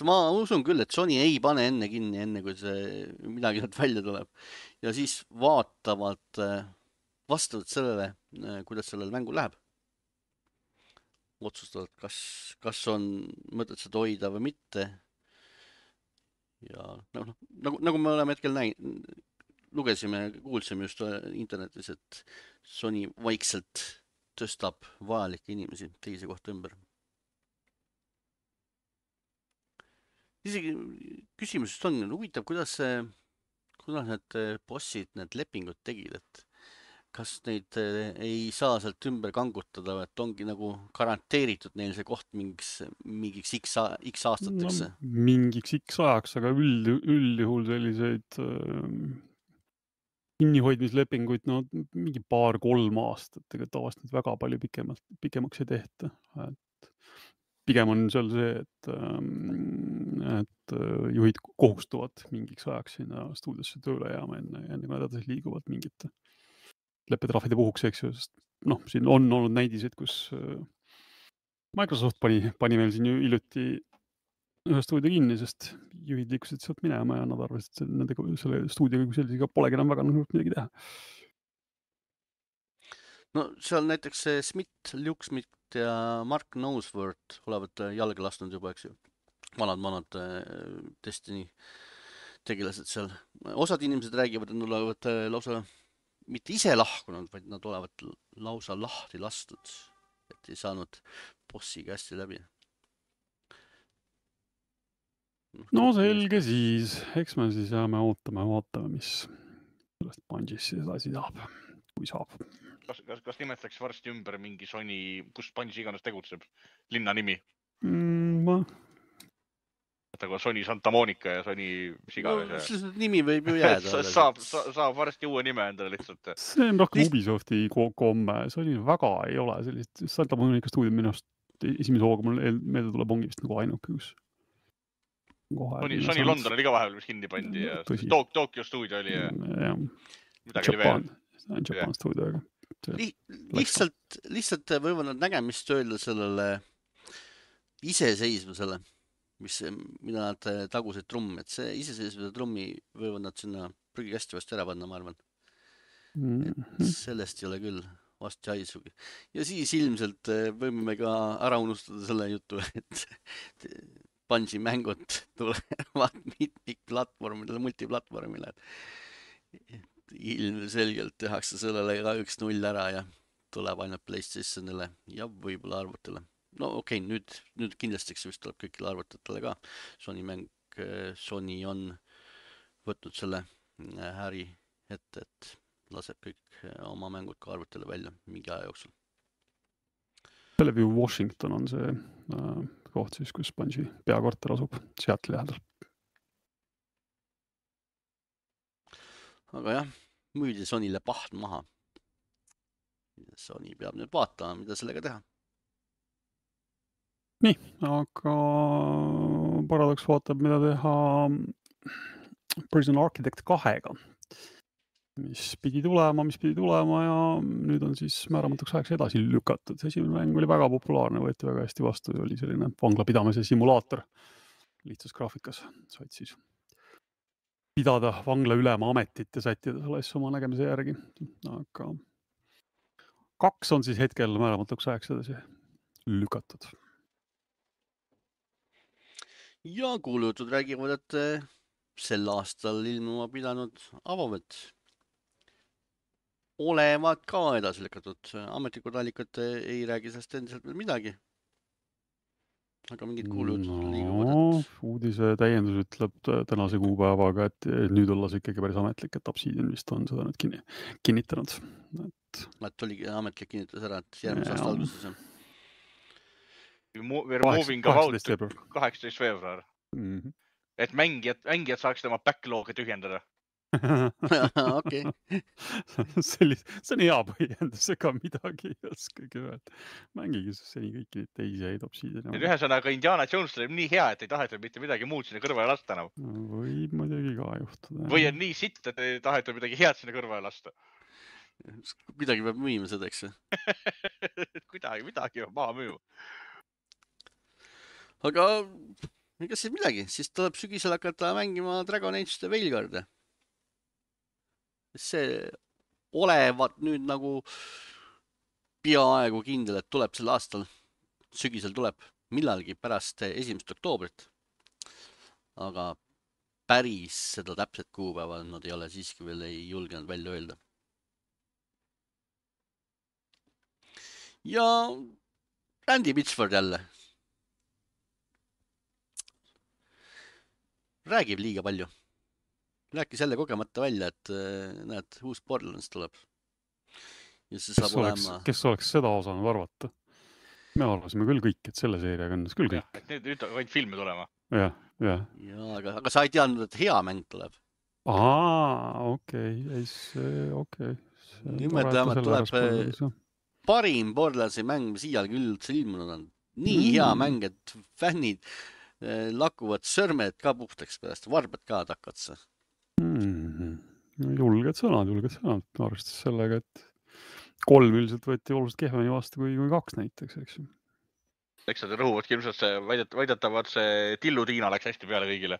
Ma usun küll, et Sony ei pane enne kinni, enne kui see midagi nad välja tuleb. Ja siis vaatavad vastavalt sellele, kuidas sellel mängul läheb. Otsustavad, kas, kas on mõtet seda hoida või mitte. Ja no, nagu, nagu me oleme hetkel näinud, lugesime, kuulsime just internetis, et Sony vaikselt tõstab vajalikke inimesi teise kohta ümber. Isegi küsimusest on huvitav, kuidas, kuidas need bossid, need lepingud tegid, et kas neid ei saa sealt ümber kangutada, et ongi nagu garanteeritud neil see koht mingiks, mingiks x, x aastateks? No, mingiks x ajaks, aga üld, üldjuhul selliseid äh, kinnihoidmislepinguid, no mingi paar-kolm aastat, ega tavaliselt nüüd väga palju pikemalt, pikemaks ei tehta. Et pigem on seal see, et, et juhid kohustuvad mingiks ajaks sinna stuudiosse tööle jääma enne, enne kui nad edasi liiguvad mingite leppetrahvide puhuks, eks ju, sest noh, siin on olnud näidiseid, kus Microsoft pani, pani meil siin ju hiljuti ühe stuudio kinni, sest juhid liikusid sealt minema ja nad arvasid, et nende, selle stuudioga kui sellisega polegi enam väga nõud midagi teha. No seal näiteks Smith, Luke Smith ja Mark Noseworth olevat jalga lasknud juba, eks ju. Vanad, vanad Destiny tegelased seal. Osad inimesed räägivad, et nad olevat lausa mitte ise lahkunud, vaid nad olevat lausa lahti lastud, et ei saanud bossiga hästi läbi. No selge siis, eks me siis jääme ootama ja vaatame, mis sellest Bungee'st siis edasi saab, kui saab. Kas, kas, kas nimetaks varsti ümber mingi Sony, kus Bungie iganes tegutseb, linna nimi? Mm, ma... Aga Sony Santa Monica ja Sony Siganes. No, siis nimi võib ju jääda. Saab, saab varsti uue nime endale lihtsalt. See on rohkem Ubisofti komme. Sony väga ei ole sellist. Santa Monica stuudium minust esimese hooga mul meelde tuleb ongi vist nagu ainuke, kus Sony, Sony London oli ka vahepeal, mis kinni pandi ja Tok, Tokyo stuudio oli ja, ja midagi Japan, oli veel. Japan yeah. stuudioga. Li lihtsalt, lihtsalt võivad nad nägemist öelda sellele iseseisvusele, mis, mida nad tagusid trumm, et see iseseisvuse trummi võivad nad sinna prügikasti vast ära panna, ma arvan. Mm -hmm. Et sellest ei ole küll vast haisugi. Ja siis ilmselt võime ka ära unustada selle jutu, et Bungie mängud tulevad mitmikplatvormidele, multiplatvormile. Ilmselgelt tehakse sellele ka üks null ära ja tuleb ainult PlayStationile ja võib-olla arvutile. No okei, okay, nüüd, nüüd kindlasti vist tuleb kõikile arvutatele ka. Sony mäng, Sony on võtnud selle häri ette, et laseb kõik oma mängud ka arvutile välja mingi aja jooksul. Bellevue Washington on see äh, koht siis, kus Bungie peakorter asub Seattle lähedal. aga jah, müüdi Sonyle pahn maha. Sony peab nüüd vaatama, mida sellega teha. Nii, aga Paradox vaatab, mida teha Prison Architect kahega, mis pidi tulema, mis pidi tulema ja nüüd on siis määramatuks ajaks edasi lükatud. Esimene mäng oli väga populaarne, võeti väga hästi vastu ja oli selline vangla pidamise simulaator lihtsas graafikas. Said siis pidada vangla ülema ametit ja sättida selle asja oma nägemise järgi. Aga kaks on siis hetkel määramatuks ajaks edasi lükatud. Ja kuulujutud räägivad, et sel aastal ilmuma pidanud Avomet olevat ka edasi lükatud. Ametlikud allikad ei räägi sellest endiselt veel midagi. Aga mingid kuulujutud no, liiguvad. Et... Uudise täiendus ütleb tänase kuupäevaga, et nüüd olles ikkagi päris ametlik, et Obsidian vist on seda nüüd kinni, kinnitanud. Et... et oli ametlik kinnitus ära, et järgmise aasta alguses on. We're moving about kaheksateist veebruar. Mm -hmm. Et mängijad, mängijad saaks tema backlog'i tühjendada. Okei. See on hea põhjendus, ega midagi ei oskagi öelda. Mängige seni kõiki neid teisi häid Obsidian. Et ühesõnaga Indiana Jones oli nii hea, et ei tahetud mitte midagi muud sinna kõrvale lasta enam. Võib muidugi ka juhtuda. Või on nii sitt, et ei tahetud midagi head sinna kõrvale lasta. Kuidagi peab müüma seda, eks? Kuidagi, midagi peab maha müüma. Aga ega siis midagi, siis tuleb sügisel hakata mängima Dragon Age The Veilguard. See olevat nüüd nagu peaaegu kindel, et tuleb sel aastal, sügisel tuleb millalgi pärast esimest oktoobrit. Aga päris seda täpset kuupäeva nad ei ole siiski veel ei julgenud välja öelda. Ja Andy Pitchford jälle. Räägib liiga palju. Rääkis jälle kogemata välja, et näed, uus Borderlands tuleb. Ja see saab kes, oleks, olema... kes oleks seda osanud arvata? Me arvasime küll kõik, et selle seeriaga õnnes küll kõik. Ja, nüüd on vaid filmi tulema. Ja, ja. ja aga, aga sa ei teadnud, et hea mäng tuleb. Aa, okei. Okay. Okay. Nimelt vähemalt tuleb parim Borderlandsi mäng, mis iialgi üldse ilmunud on. Nii mm. hea mäng, et fännid lakuvad sõrmed ka puhtaks pärast, varbad ka takatsa. Mm-hmm. Julged sõnad, julged sõnad. Arvestas sellega, et kolm üldiselt võeti oluliselt kehveni vastu kui, kui kaks näiteks, eks ju. Eks nad rõhuvadki ilmselt see väidet, väidetavad see Tillu Tiina läks hästi peale kõigile.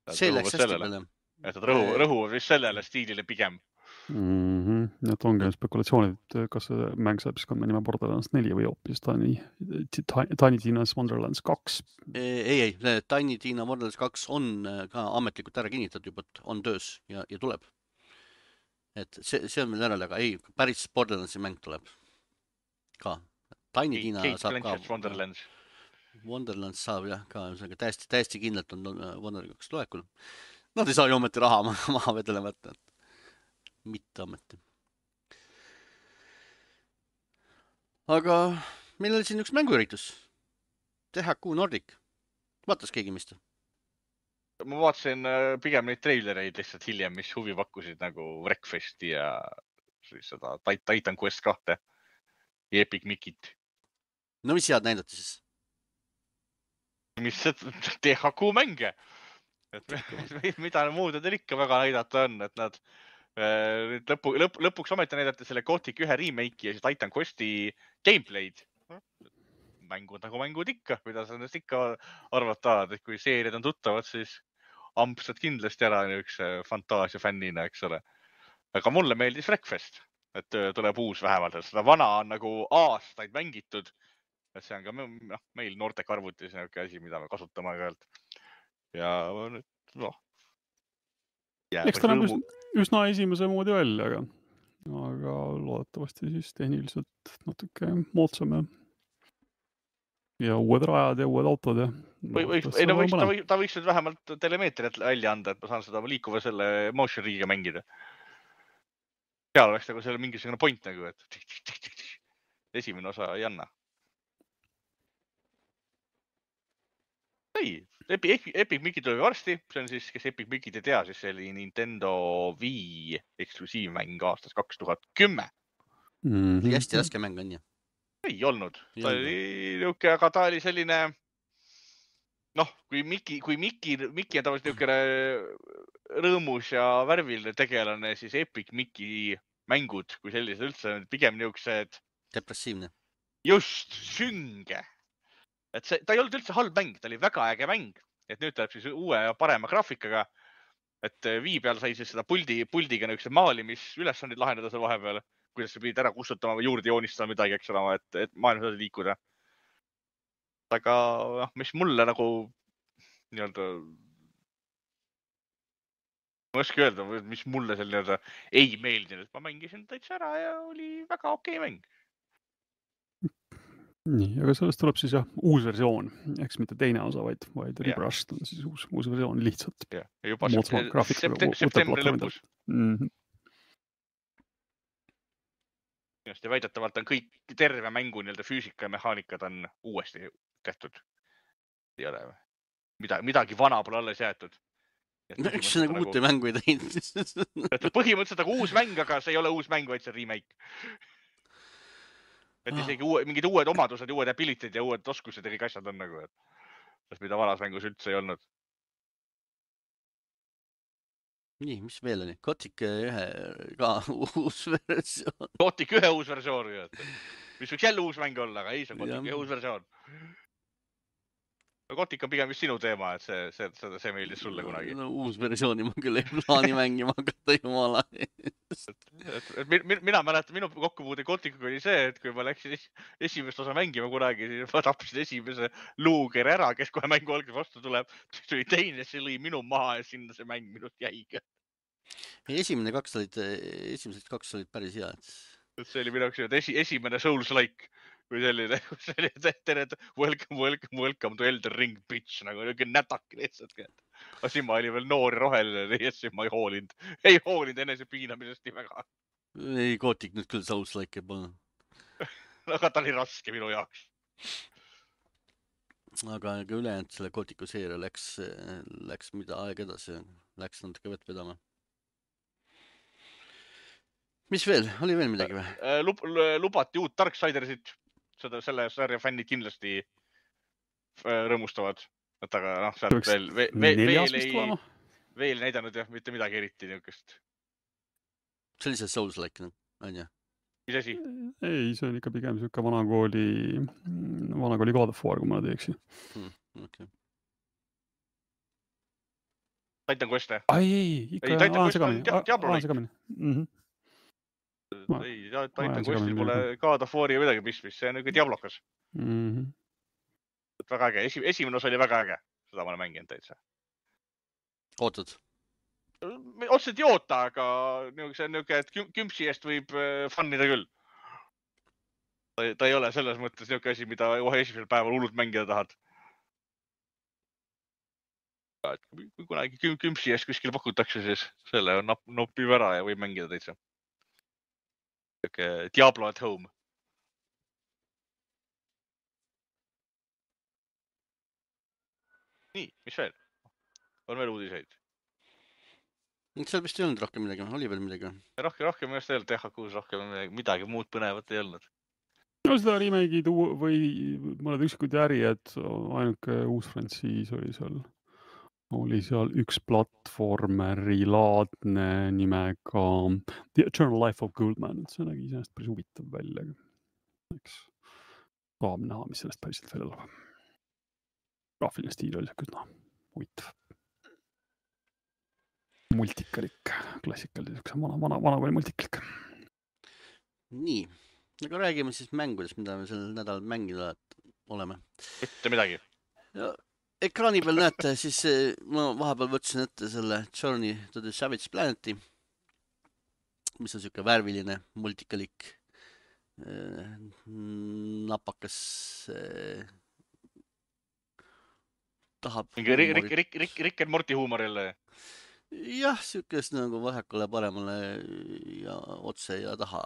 See läks hästi sellele. peale. Et nad rõhu, rõhuvad vist sellele stiilile pigem. Mm-hmm. Et ongi spekulatsioonid, et kas see mäng saab siis kanda nime Borderlands neli või hoopis Tiny, Tiny Tina's Wonderlands kaks. Ei, ei, Tiny Tina Wonderlands kaks on ka ametlikult ära kinnitatud juba, et on töös ja, ja tuleb. Et see, see on meil ära, aga ei, päris Borderlandsi mäng tuleb ka. Tiny Tina Kate saab Blanchett ka. Wonderlands. Wonderlands saab jah ka, täiesti, täiesti kindlalt on Wonderlands kaks tulekul. Nad ei saa ju ometi raha maha vedele võtta. Mitte ameti. Aga meil oli siin üks mänguüritus. T H Q Nordic. Vaatas keegi mist? Ma vaatasin pigem neid treilereid lihtsalt hiljem, mis huvi pakkusid nagu Wreckfesti ja siis seda Titan Quest kahte ja Epic Mickit. No mis head näidati siis? Mis T H Q mänge? Et mida muud nad ikka väga näidata on, et nad Lõpu, lõp, lõpuks ometi näidati selle Gothic ühe remake ja siis Titan Questi gameplay'd. Mängud nagu mängud ikka, mida sa nendest ikka arvata, et kui seeriad on tuttavad, siis ampsad kindlasti ära üks fantaasia fännina, eks ole. Aga mulle meeldis Wreckfest, et tuleb uus vähemalt. Seda vana on nagu aastaid mängitud. Et see on ka no, meil noortek arvutis asi, mida me kasutame aeg-ajalt. Ja noh. Ja, eks ta näeb üsna, üsna esimese moodi välja, aga, aga loodetavasti siis tehniliselt natuke moodsame ja uued rajad ja uued autod. Ja või, või, ei, no võiks, ta, või, ta võiks nüüd vähemalt telemeetriat välja anda, et ma saan seda liikuva selle motion riigiga mängida. Seal oleks nagu selle mingisugune point nagu, et esimene osa ei anna. Ei, Epic, Epic Mickey tuleb varsti, see on siis, kes Epic Mickey't ei tea, siis see oli Nintendo Wii eksklusiivmäng aastast kaks tuhat kümme. Mm -hmm. Hästi raske mäng on ju. Ei olnud, ta oli niuke, aga ta oli selline, noh, kui Mickey, kui Mickey, Mickey on tavaliselt niukene rõõmus ja värviline tegelane, siis Epic Mickey mängud, kui sellised üldse, pigem niuksed. Depressiivne. Just, sünge. Et see, ta ei olnud üldse halb mäng, ta oli väga äge mäng, et nüüd tuleb siis uue ja parema graafikaga, et Wii peal sai siis seda puldi, puldiga niisugused maalimisülesandid lahendada seal vahepeal, kuidas sa pidid ära kustutama või juurde joonistama midagi, eks ole, et, et maailmas edasi liikuda. Aga noh, mis mulle nagu nii-öelda, ma oska öelda, mis mulle seal nii-öelda ei meeldinud, ma mängisin täitsa ära ja oli väga okei mäng. Nii, aga sellest tuleb siis jah, uus versioon, eks mitte teine osa, vaid, vaid Rebrushed on siis uus, uus versioon lihtsalt. Ja, juba septembri lõpus. Mm -hmm. Ja väidetavalt on kõik terve mängu nii-öelda füüsika ja mehaanikad on uuesti tehtud. Ei ole midagi, midagi vana pole alles jäetud. Üks nagu uute mängu ei teinud. Põhimõtteliselt aga uus mäng, aga see ei ole uus mäng, vaid see remake. Et isegi uue, mingid uued omadused, uued ability'd ja uued oskused ja kõik asjad on nagu, et sest mida vanas mängus üldse ei olnud. Nii, mis veel oli? Gothic ühe ka uus versioon. Gothic ühe uus versioon, mis võiks jälle uus mäng olla, aga ei, see on Gothic ühe uus versioon. Gothic on pigem vist sinu teema, et see, see, see, see meeldis sulle kunagi. No, uus versiooni ma küll ei plaani mängima hakata jumala. Mina mäletan, minu kokkupuude Gothicuga oli see, et kui ma läksin esimest osa mängima kunagi, siis ma tapsin esimese luuger ära, kes kohe mängu algas vastu tuleb. See oli teine, see lõi minu maha ja sinna see mäng minust jäiga. Esimene kaks olid, esimesed kaks olid päris head. See oli minu esi, esimene Souls-like. Kui selline, selline tere, welcome, welcome, welcome to Elden Ring, bitch, nagu niisugune nätak lihtsalt. Aga siin ma olin veel noor ja roheline, ja siis ma ei hoolinud. Ei hoolinud enese piinamisest nii väga. Ei, Gothic nüüd küll Souls-like ei polnud. Aga ta oli raske minu jaoks. Aga ülejäänud selle Gothicu seeria läks, läks mida aeg edasi, läks natuke vett vedama. Mis veel? Oli veel midagi või? Lub, lubati uut Darksidersit. Seda, selle sarja fännid kindlasti rõõmustavad. Et aga noh, sealt veel, veel, veel, ei, veel näidanud jah, mitte midagi eriti niukest. See oli see Souls-like, on ju? Mis asi? Ei, see on ikka pigem siuke vanakooli, vanakooli God of War, kui ma teeksi. Hmm, okay. Titan Quest? Ai, ei, ikka ei, Titan Quest on Diablo-like. Mhm. Ei, Titan Questil pole God of War'i midagi pistmist, see on niuke Diablokas. Mm -hmm. Väga äge, Esi, esimene osa oli väga äge, seda ma olen mänginud täitsa. Ootad? Otseselt ei oota, aga see on niuke, et kümpsi eest võib fannida küll. Ta, ta ei ole selles mõttes niuke asi, mida kohe esimesel päeval hullult mängida tahad. Kui kunagi kümpsi eest kuskil pakutakse, siis selle nop, nopib ära ja võib mängida täitsa. Diablo at home. Nii, mis veel? On veel uudiseid? Seal vist ei olnud rohkem midagi, oli veel midagi? Rohkem, rohkem just veel T H Q-s rohkem midagi muud põnevat ei olnud. No seda remake'id või mõned üksikud äri, et ainuke uus frantsiis oli seal. Oli seal üks platvormeri laadne nimega The Eternal Life of Goldman. See nägi iseenesest päris huvitav välja. Eks tahab näha, mis sellest päriselt välja tuleb. Graafiline stiil oli küll huvitav. Multikalik, klassikalik, vana, vana, vana või multikalik. Nii, aga räägime siis mängudest, mida me sel nädalal mängida oleme. Mitte midagi. Ja ekraani peal näete, siis ma vahepeal võtsin ette selle Journey to the Savage Planeti, mis on siuke värviline multikalik napakas tahab mingi Rick, Rick, Rick, Rick and Morty huumor jälle. Jah, siukest nagu vasakule paremale ja otse ja taha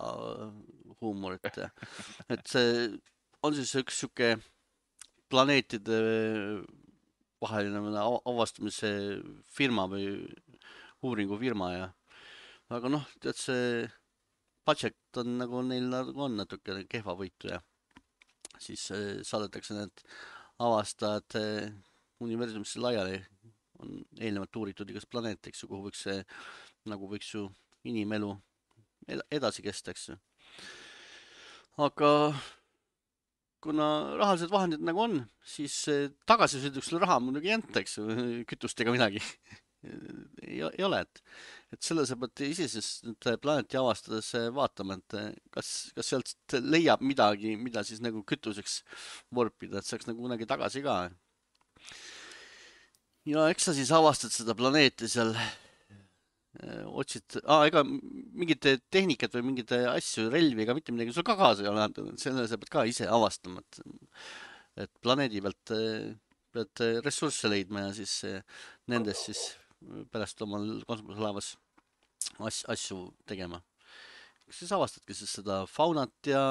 huumorit. Et see on siis üks siuke planeetide vaheline avastamise firma või uuringufirma ja aga noh, tead see budget on nagu neil nagu on natuke kehva võitu ja siis saadetakse need avastajad universumisse laiali. On eelnevalt uuritud igast planeet, eks ju, kuhu võiks see, nagu võiks ju inimelu edasi kesta, eks ju. Aga kuna rahalised vahendid nagu on, siis tagasisõiduks selle raha muidugi ei anta, eks ju, kütustega midagi ei, ei ole, et, et selle sa pead isesest planeeti avastades vaatama, et kas, kas sealt leiab midagi, mida siis nagu kütuseks vorpida, et saaks nagu kunagi tagasi ka. Ja eks sa siis avastad seda planeeti seal, otsid, aa, ega mingite tehnikat või mingite asju, relvi ega mitte midagi sul ka kaasa ei ole, selle sa pead ka ise avastama, et, et planeedi pealt pead ressursse leidma ja siis nendest siis pärast omal kosmoselaevas as, asju tegema. Siis avastadki siis seda faunat ja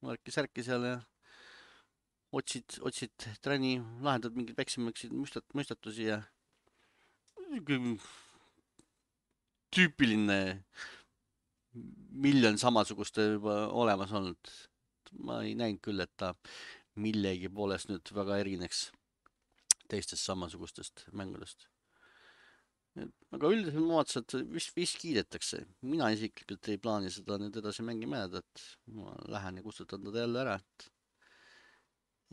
märki-särki seal ja otsid, otsid träni, lahendad mingid väiksemaks müstat, müstatusi ja tüüpiline miljon samasugust juba olemas olnud. Ma ei näinud küll, et ta millegi poolest nüüd väga erineks teistest samasugustest mängudest. Aga üldiselt ma vaatasin, et vist, vist kiidetakse. Mina isiklikult ei plaani seda nüüd edasi mängima jääda, et ma lähen ja kustutan teda jälle ära, et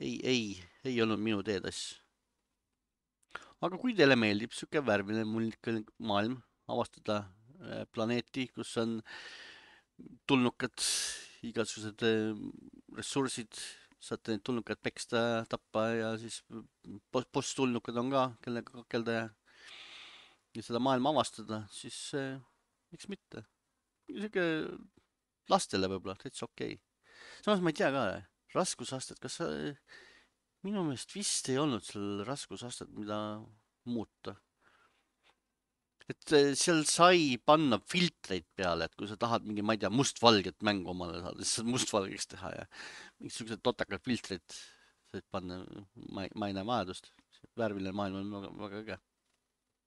Ei, ei, ei olnud minu teed asju. Aga kui teile meeldib siuke värviline mullikalik maailm, avastada planeeti, kus on tulnukad, igasugused ressursid, saate neid tulnukad peksta, tappa ja siis post-tulnukad on ka, kellega kakelda ja, ja seda maailma avastada, siis miks mitte. Siuke lastele võib-olla, täitsa okei. Samas ma ei tea ka, raskusastet, kas sa, minu meelest vist ei olnud seal raskusastet, mida muuta. Et seal sai panna filtreid peale, et kui sa tahad mingi, ma ei tea, mustvalget mängu omale saada, siis saad mustvalgeks teha ja mingisugused totakad filtreid said panna, ma ei, ma ei näe vajadust. Värviline maailm on väga, väga äge,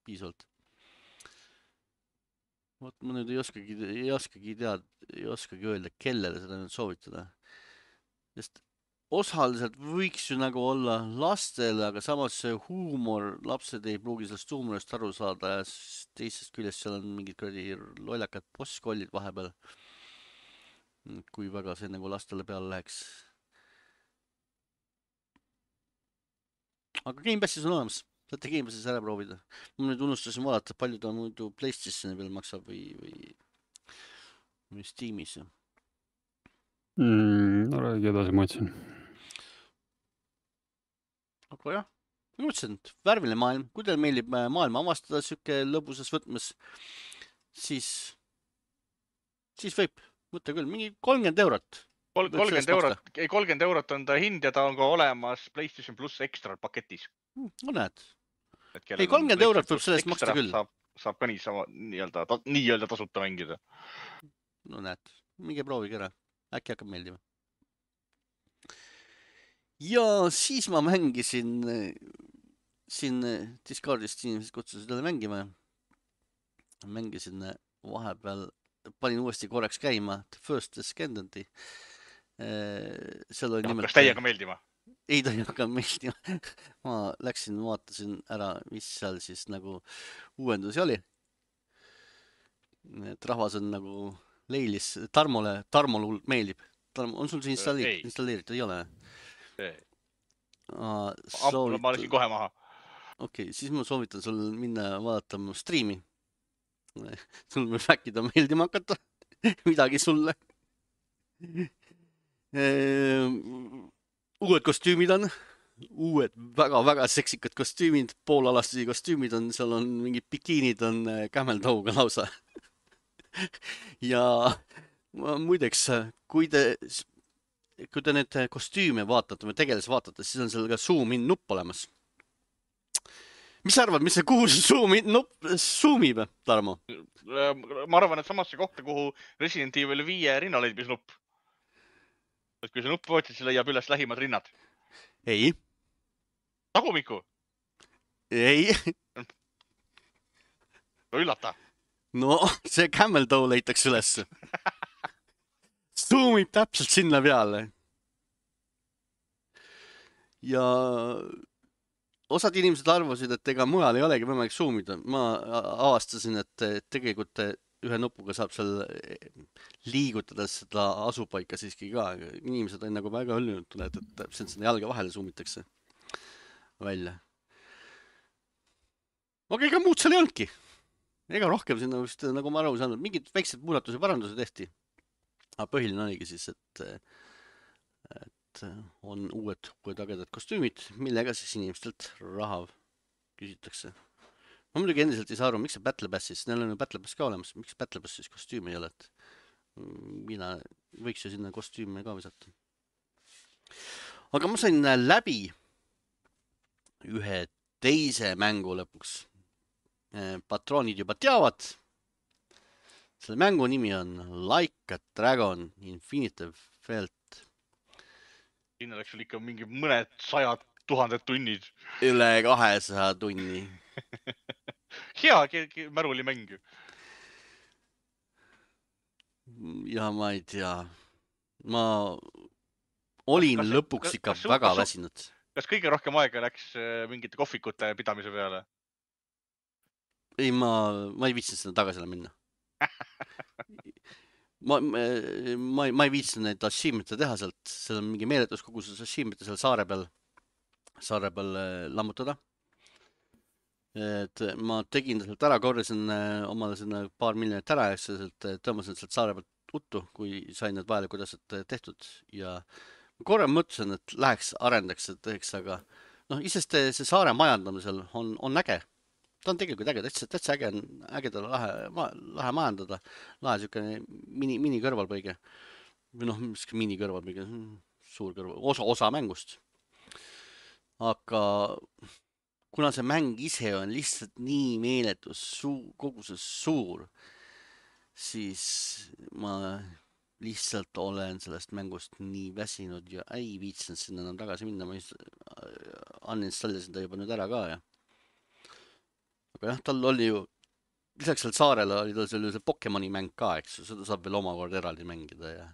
piisavalt. Vot ma nüüd ei oskagi, ei oskagi teada, ei oskagi öelda, kellele seda nüüd soovitada. Sest osaliselt võiks ju nagu olla lastele, aga samas see huumor, lapsed ei pruugi sellest huumorist aru saada ja teisest küljest seal on mingid kuradi lollakad postkollid vahepeal. Kui väga see nagu lastele peale läheks. Aga Game Passis on olemas. Saate Game Passis ära proovida. Ma nüüd unustasin vaadata, palju ta muidu PlayStationi peal maksab või, või, või Steamis. Mm, no räägi edasi, ma ütlesin. Aga jah, ma mõtlesin, et värviline maailm, kui teil meeldib maailma avastada siuke lõbusas võtmes, siis, siis võib võtta küll mingi kolmkümmend eurot. kolmkümmend eurot, ei kolmkümmend eurot on ta hind ja ta on ka olemas PlayStation Plus Extra paketis. No näed. Ei, kolmkümmend eurot võib sellest maksta küll. Saab, saab ka niisama nii-öelda, nii-öelda tasuta mängida. No näed, minge proovige ära. Äkki hakkab meeldima. Ja siis ma mängisin siin Discordist inimesed kutsusid jälle mängima. Mängisin vahepeal, panin uuesti korraks käima The First Descendant'i. Seal oli nimelt... Kas teiega meeldima? Ei, ta ei hakanud meeldima. Ma läksin, vaatasin ära, mis seal siis nagu uuendusi oli. Et rahvas on nagu leilis. Tarmole, Tarmole meeldib. Tarmo, on sul see installeeritud? Installeeritud ei ole? Ei. Soovitan... Ma läksin kohe maha. Okei, okay, siis ma soovitan sul minna vaadata mu striimi. Sul võib äkki ta meeldima hakata. Midagi sulle. Uued kostüümid on. Uued väga-väga seksikad kostüümid. Poolalastisi kostüümid on. Seal on mingid bikiinid on kämeldauga lausa. Ja muideks, kui te... Kui te need kostüüme vaatate või tegelasi vaatate, siis on seal ka zoom-in nupp olemas. Mis sa arvad, mis see kuhu zoom-in nupp zoomib, Tarmo? Ma arvan, et samasse kohta, kuhu Resident Evil viie rinnaleidbis nupp. Et kui see nupp võtsid, siis leiab üles lähimad rinnad. Ei. Tagumiku? ei. No üllata. No, see camel toe leitakse üles. Zoomib täpselt sinna peale. Ja osad inimesed arvasid, et ega mujal ei olegi võimalik zoomida. Ma avastasin, et tegelikult ühe nupuga saab seal liigutades seda asupaika siiski ka. Inimesed on nagu väga õllunud, et täpselt sinna jalga vahele zoomitakse välja. Aga ega muud seal ei olnudki. Ega rohkem sinna vist, nagu ma aru saanud, mingid väiksed muudatuse paranduse tehti. Aga põhiline oligi siis, et, et on uued, uued agedad kostüümid, millega siis inimestelt raha küsitakse. Ma muidugi endiselt ei saa aru, miks see Battle Pass siis, neil on ju Battle Pass ka olemas, miks Battle Pass siis kostüümi ei ole, et mina võiks ju sinna kostüüme ka visata. Aga ma sain läbi ühe teise mängu lõpuks. Patroonid juba teavad. Selle mängu nimi on Like a Dragon Infinite Felt. Siin oleks sul ikka mingi mõned sajad tuhanded tunnid. Üle kahesaja tunni. Hea märuli mäng. Ja ma ei tea. Ma olin kas, lõpuks kas, ikka kas, väga kas, väsinud. Kas kõige rohkem aega läks mingite kohvikute pidamise peale? Ei, ma, ma ei viitsinud seda tagasi minna. ma, ma, ma, ma ei viitsinud neid achievement'e teha sealt. Seal on mingi meeletus koguses achievement'e seal saare peal, saare peal lammutada. Et ma tegin sealt ära, korjasin omale sinna paar miljonit ära, sealt tõmbasin sealt saare pealt uttu, kui sain need vajalikud asjad tehtud. Ja korra mõtlesin, et läheks arendaks, et teeks, aga noh, isest see saare majandamisel on, on äge. Ta on tegelikult äge, täitsa, täitsa äge, ägedale lahe, lahe majandada. Lahe siukene mini, mini kõrvalpõige. Või noh, mis mini kõrvalpõige, suur kõrval, osa, osa mängust. Aga kuna see mäng ise on lihtsalt nii meeletus suu, koguses suur, siis ma lihtsalt olen sellest mängust nii väsinud ja ei viitsinud sinna enam tagasi minna. Ma just uninstallisin ta juba nüüd ära ka ja aga jah, tal oli ju, lisaks seal saarele oli tal sellise Pokemoni mäng ka, eks, seda saab veel omakorda eraldi mängida ja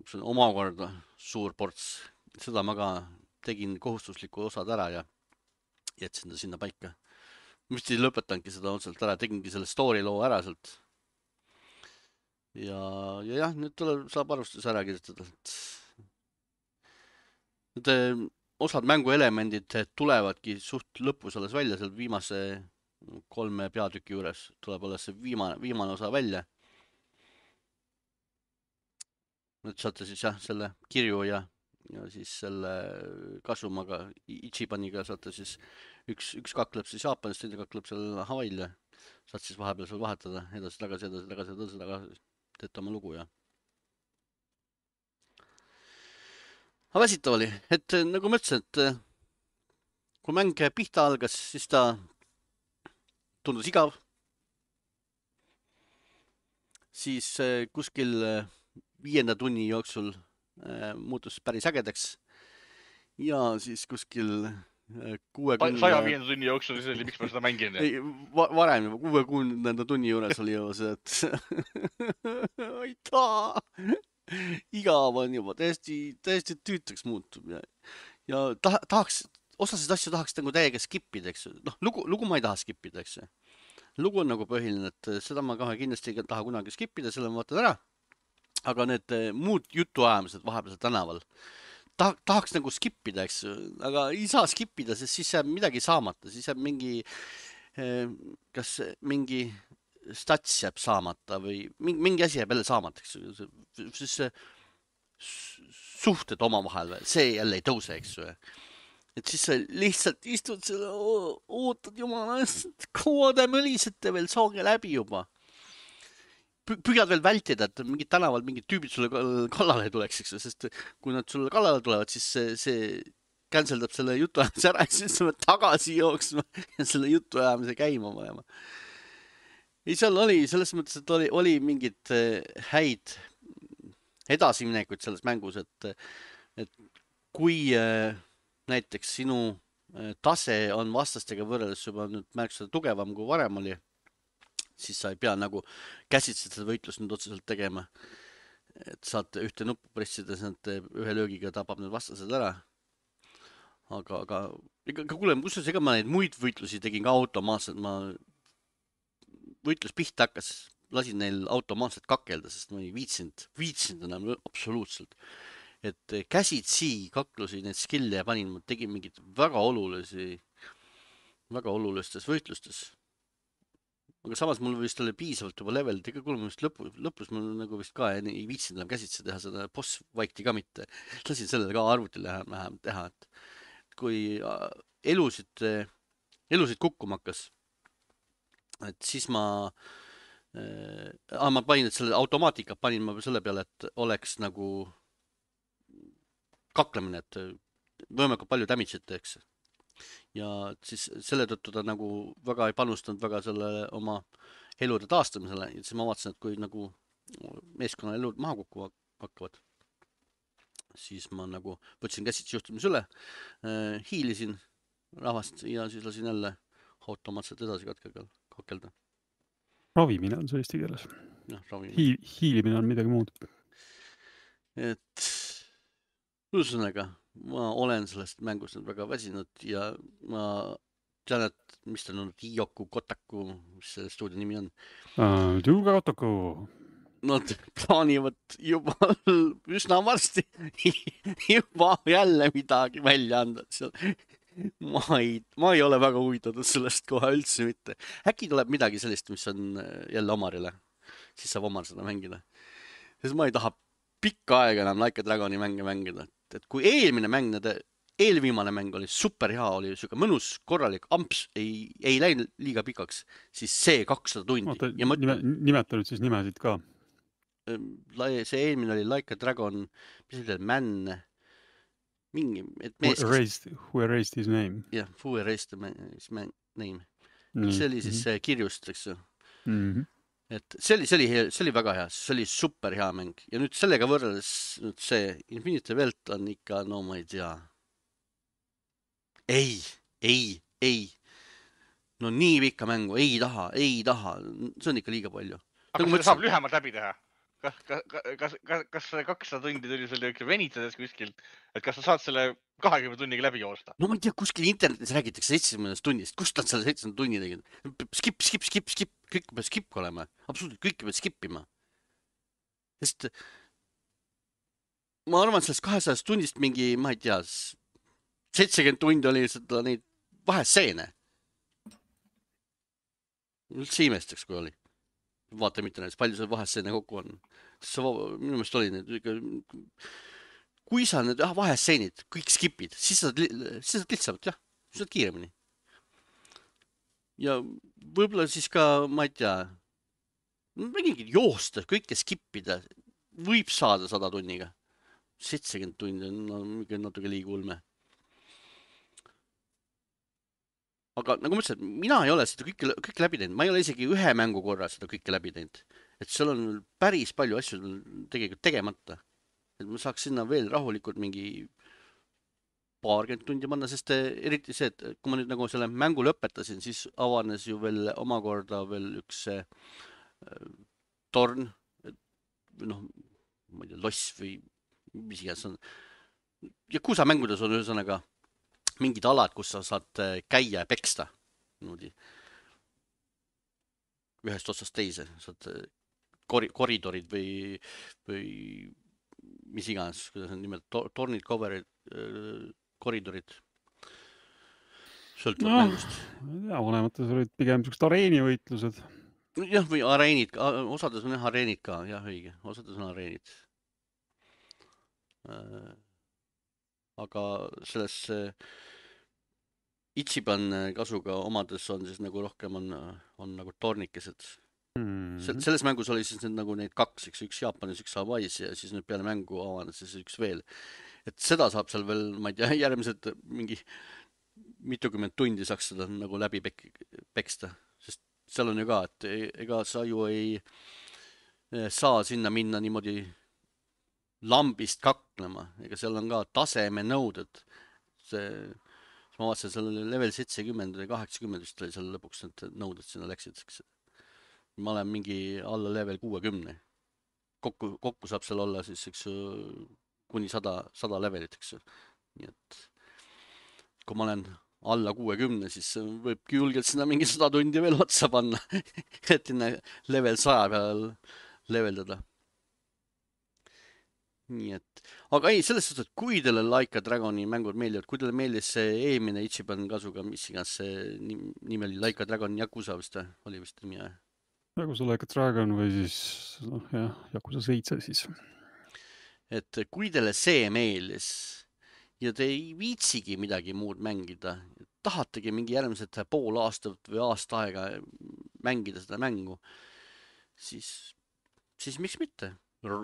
see on omakorda suur ports. Seda ma ka tegin kohustusliku osad ära ja jätsin ta sinna paika. Ma vist ei lõpetanudki seda otselt ära, tegingi selle story loo ära sealt. Ja, ja jah, nüüd tuleb, saab arvustus ära kirjutada. Nüüd osad mänguelemendid tulevadki suht lõpus alles välja, seal viimase kolme peatüki juures tuleb alles see viimane, viimane osa välja. Nüüd saate siis jah, selle kirju ja, ja siis selle Kasumaga, Ichibaniga saate siis üks, üks kakleb siis Jaapanist, teine kakleb seal Havail ja saate siis vahepeal seal vahetada edasi, tagasi, edasi, tagasi, edasi, tagasi, teete oma lugu ja aga väsitav oli, et nagu ma ütlesin, et kui mäng pihta algas, siis ta tundus igav. Siis kuskil viienda tunni jooksul muutus päris ägedaks. Ja siis kuskil kuuekümne... saja viienda tunni jooksul, siis oli, miks ma seda mängin? Ei, varem juba kuuekümnenda tunni juures oli ju see, et aitaa! Igav on juba täiesti, täiesti tüütaks muutub ja, ja ta, tahaks, osasid asju tahaks nagu täiega skipida, eks. Noh, lugu, lugu ma ei taha skipida, eks. Lugu on nagu põhiline, et seda ma kohe kindlasti ei taha kunagi skipida, selle ma vaatan ära. Aga need muud jutuajamised vahepeal tänaval ta, tahaks nagu skipida, eks. Aga ei saa skipida, sest siis jääb midagi saamata, siis jääb mingi, kas mingi stats jääb saamata või mingi, mingi asi jääb jälle saamata, eks. Siis suhted oma vahel, see jälle ei tõuse, eks. Et siis sa lihtsalt istud selle, ootad jumala, kaua te mõlisete veel, saage läbi juba. Püüad veel vältida, et mingid tänaval mingid tüübid sulle kallale tuleks, eks. Sest kui nad sulle kallale tulevad, siis see, see canceldab selle jutuajamise ära, siis sa pead tagasi jooksma ja selle jutuajamise käima panema. Ei, seal oli, selles mõttes, et oli, oli mingid häid edasiminekuid selles mängus, et, et kui näiteks sinu tase on vastastega võrreldes juba nüüd märksa tugevam kui varem oli, siis sa ei pea nagu käsitselt seda võitlust nüüd otseselt tegema. Et saad ühte nuppu pressides, nad ühe löögiga tapab need vastased ära. Aga, aga, ega kuule, kusjuures ega ma neid muid võitlusi tegin ka automaatselt, ma võitlus pihta hakkas, lasin neil automaatselt kakelda, sest ma ei viitsinud, viitsinud enam absoluutselt. Et käsitsi kaklusi need skill'e ja panin, ma tegin mingid väga olulisi, väga olulistes võitlustes. Aga samas mul vist oli piisavalt juba level, ega kuule, ma vist lõpu, lõpus mul nagu vist ka ei viitsinud enam käsitsi teha seda boss vaikti ka mitte. Lasin sellele ka arvutil vähem teha, et kui elusid, elusid kukkuma hakkas, et siis ma äh, ma panin, et selle automaatika panin ma selle peale, et oleks nagu kaklemine, et võimalikult palju damage'it teeks. Ja siis selle tõttu ta nagu väga ei panustanud väga selle oma elude taastamisele, ja siis ma vaatasin, et kui nagu meeskonna elud maha kukku hakkavad, siis ma nagu võtsin käsitsi juhtimise üle, hiilisin rahvast ja siis lasin jälle automaatselt edasi katkega kakelda. Ravimine on see eesti keeles. Ja, Hiil, hiilimine on midagi muud. Et ühesõnaga, ma olen sellest mängust nüüd väga väsinud ja ma tean, et mis ta on, Iyoku Kotaku, mis selle stuudio nimi on. Uh, Tuuga Kotaku. Nad plaanivad juba üsna varsti juba jälle midagi välja anda. Ma ei, ma ei ole väga huvitatud sellest kohe üldse mitte. Äkki tuleb midagi sellist, mis on jälle Omarile. Siis saab Omar seda mängida. Sest ma ei taha pikka aega enam Like a Dragoni mänge mängida. Et kui eelmine mäng, nende eelviimane mäng oli super hea, oli süga mõnus, korralik, amps, ei, ei läinud liiga pikaks, siis see kakssada tundi. Oota, ja ma... nime, nimeta nüüd siis nimesid ka. See eelmine oli Like a Dragon, mis oli man, mingi, et mees... Who erased, who erased his name. Jah, yeah, who erased his name. Mm. See oli siis mm-hmm. kirjust, eks ju. Mm-hmm. Et see oli, see oli, see oli väga hea, see oli super hea mäng. Ja nüüd sellega võrreldes nüüd see Infinity Welt on ikka, no ma ei tea. Ei, ei, ei. No nii pikka mängu, ei taha, ei taha. See on ikka liiga palju. Aga kas seda saab lühemalt läbi teha? Kas, kas, kas, kas kakssada tundi tuli selle venitades kuskilt, et kas sa saad selle kahekümne tunniga läbi joosta? No ma ei tea, kuskil internetis räägitakse seitsekümmend tunnist. Kust nad selle seitsekümmend tunni tegid? Skip, skip, skip, skip. Kõik peab skip olema. Absoluutselt, kõik peab skipima. Sest ma arvan, et sellest kahesajast tunnist mingi, ma ei tea, seitsekümmend tundi oli seda neid vaheseene. Üldse imestaks, kui oli. Vaata mitte näiteks, palju see vaheseene kokku on. See minu meelest oli need, kui sa need vaheseenid kõik skipid, siis sa saad lihtsalt, jah, sa saad kiiremini. Ja võib-olla siis ka, ma ei tea, mingid joosta, kõike skipida, võib saada sada tunniga. seitsekümmend tundi on no, natuke liiga ulme. Aga nagu ma ütlesin, mina ei ole seda kõike, kõike läbi teinud. Ma ei ole isegi ühe mängu korra seda kõike läbi teinud. Et seal on päris palju asju tegelikult tegemata. Et ma saaks sinna veel rahulikult mingi paarkümmend tundi panna, sest eriti see, et kui ma nüüd nagu selle mängu lõpetasin, siis avanes ju veel omakorda veel üks äh, torn, noh, ma ei tea, loss või mis iganes on. Ja kuusa mängudes on ühesõnaga mingid alad, kus sa saad käia ja peksta. Niimoodi. Ühest otsast teise. Saad kor koridorid või, või mis iganes, kuidas on nimelt, tornid, coverid, koridorid. Sõltub no, mängust. Ja, vanemates olid pigem sellised areenivõitlused. Jah, või areenid. Osades on jah areenid ka. Jah, õige. Osades on areenid. Aga selles Ichiban kasuga omades on siis nagu rohkem on, on nagu tornikesed. Mm-hmm. Selles mängus oli siis need, nagu neid kaks, üks, üks Jaapanis, üks Hawaiis ja siis nüüd peale mängu avanes siis üks veel. Et seda saab seal veel, ma ei tea, järgmised mingi mitukümmend tundi saaks seda nagu läbi pek peksta. Sest seal on ju ka, et ega sa ju ei saa sinna minna niimoodi lambist kaklema, ega seal on ka taseme nõuded. See, ma vaatasin, seal oli level seitsekümmend või kaheksakümmend vist oli seal lõpuks need nõuded sinna läksid. Ma olen mingi alla level kuuekümne. Kokku, kokku saab seal olla siis eks, kuni sada, sada levelit. Eks. Nii et kui ma olen alla kuuekümne, siis võibki julgelt sinna mingi sada tundi veel otsa panna, et inne level saja peal leveldada. Nii et, aga ei, selles suhtes, et kui teile Like a Dragoni mängud meeldivad, kui teile meeldis see eelmine Ichiban Kasuga, mis iganes see nimi oli, Like a Dragon Yakuza vist, oli vist nimi. Yakuza Like a Dragon või siis, noh jah, Yakuza seitse siis. Et kui teile see meeldis ja te ei viitsigi midagi muud mängida, tahategi mingi järgmised pool aastat või aasta aega mängida seda mängu, siis, siis miks mitte?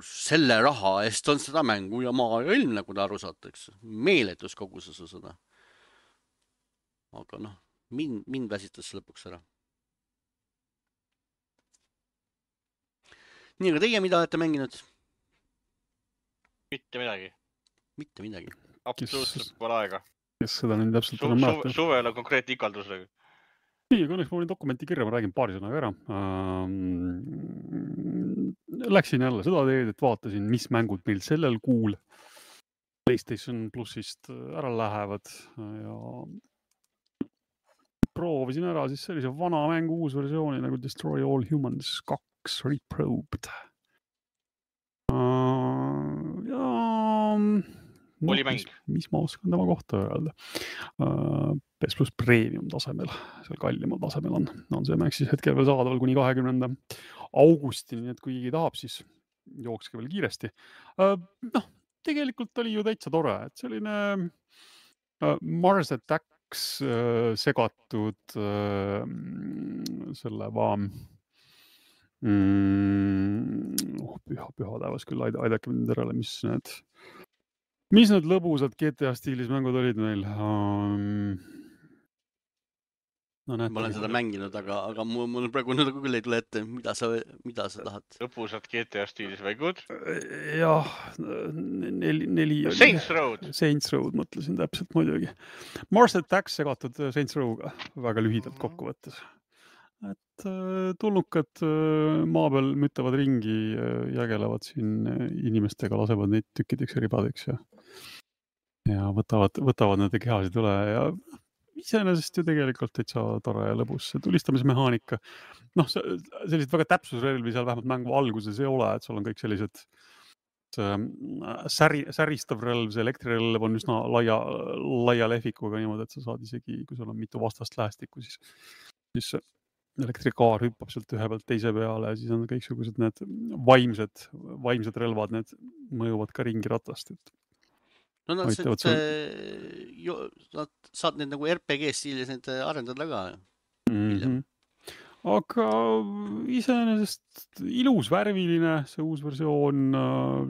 Selle raha eest on seda mängu ja maa ja ilm, nagu ta aru saate, eks. Meeletus koguses seda. Aga noh, mind, mind väsitas lõpuks ära. Nii, aga teie mida olete mänginud? Mitte midagi. Mitte midagi. Absoluutselt pole aega. Kes seda nüüd täpselt Su, enam su, mäletab? suvel on konkreetne ikaldusega. Nii, kui õnneks ma olin dokumenti kirja, ma räägin paari sõnaga ära. Läksin jälle seda teed, et vaatasin, mis mängud meil sellel kuul PlayStation Plusist ära lähevad ja proovisin ära siis sellise vana mängu uus versiooni nagu Destroy All Humans kaks Reprobed. Ja oli mäng. Mis, mis ma oskan tema kohta öelda? P S Plus Premium tasemel, seal kallimal tasemel on. On see mäng siis hetkel veel saadaval kuni kahekümnenda augustini, nii et kui keegi tahab, siis jookske veel kiiresti. Noh, tegelikult oli ju täitsa tore, et selline Mars Attacks segatud selle vaam mm, oh, püha, püha täevas küll, aidake mind järele, mis need mis need lõbusad G T A stiilis mängud olid meil? Um... No, ma olen seda mänginud, aga, aga mul, mul praegu nüüd küll ei tule ette, mida sa, mida sa tahad. Lõbusad G T A stiilis mängud? Jah, neli, neli Saints Road. Saints Road, mõtlesin täpselt muidugi. Mars Attacks segatud Saints Row'ga, väga lühidalt kokkuvõttes. Et tulnukad maa peal mütavad ringi, jägelevad siin inimestega, lasevad neid tükkideks ja ribadeks ja, ja võtavad, võtavad nende kehasid üle ja iseenesest ju tegelikult täitsa tore ja lõbus. See tulistamismehaanika, noh, sellised väga täpsusrelvi seal vähemalt mängu alguses ei ole, et seal on kõik sellised säri, säristav relv, see elektrirelv on üsna laia, laia lehvikuga niimoodi, et sa saad isegi, kui sul on mitu vastast lähestikku, siis, siis elektrikaar hüppab sealt ühe pealt teise peale ja siis on kõiksugused need vaimsed, vaimsed relvad, need mõjuvad ka ringi ratast. Et no nad sul... saad need nagu R P G stiilis need arendada ka. Mm-hmm. Aga iseenesest ilus, värviline, see uus versioon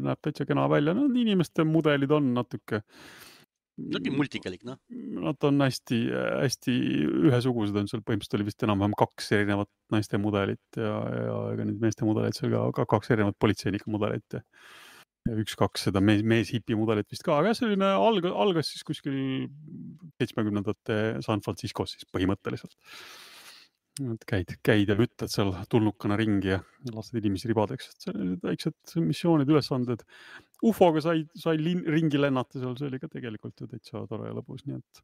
näeb täitsa kena välja. No, inimeste mudelid on natuke Nogi multikalik, noh. Nad on hästi, hästi ühesugused, on seal põhimõtteliselt oli vist enam-vähem kaks erinevat naiste mudelit ja, ja ega need meeste mudelid seal ka kaks erinevat politseinika mudelit ja, ja üks-kaks seda mees, mees hipi mudelit vist ka, aga selline alg, algas siis kuskil seitsmekümnendate San Franciscos siis põhimõtteliselt. Käid, käid ja ütled seal tulnukana ringi ja lased inimesi ribadeks. Et sellised väiksed missioonid, ülesanded. Ufoga sai, sai lin, ringi lennata seal, see oli ka tegelikult ju täitsa tore ja lõbus. Nii et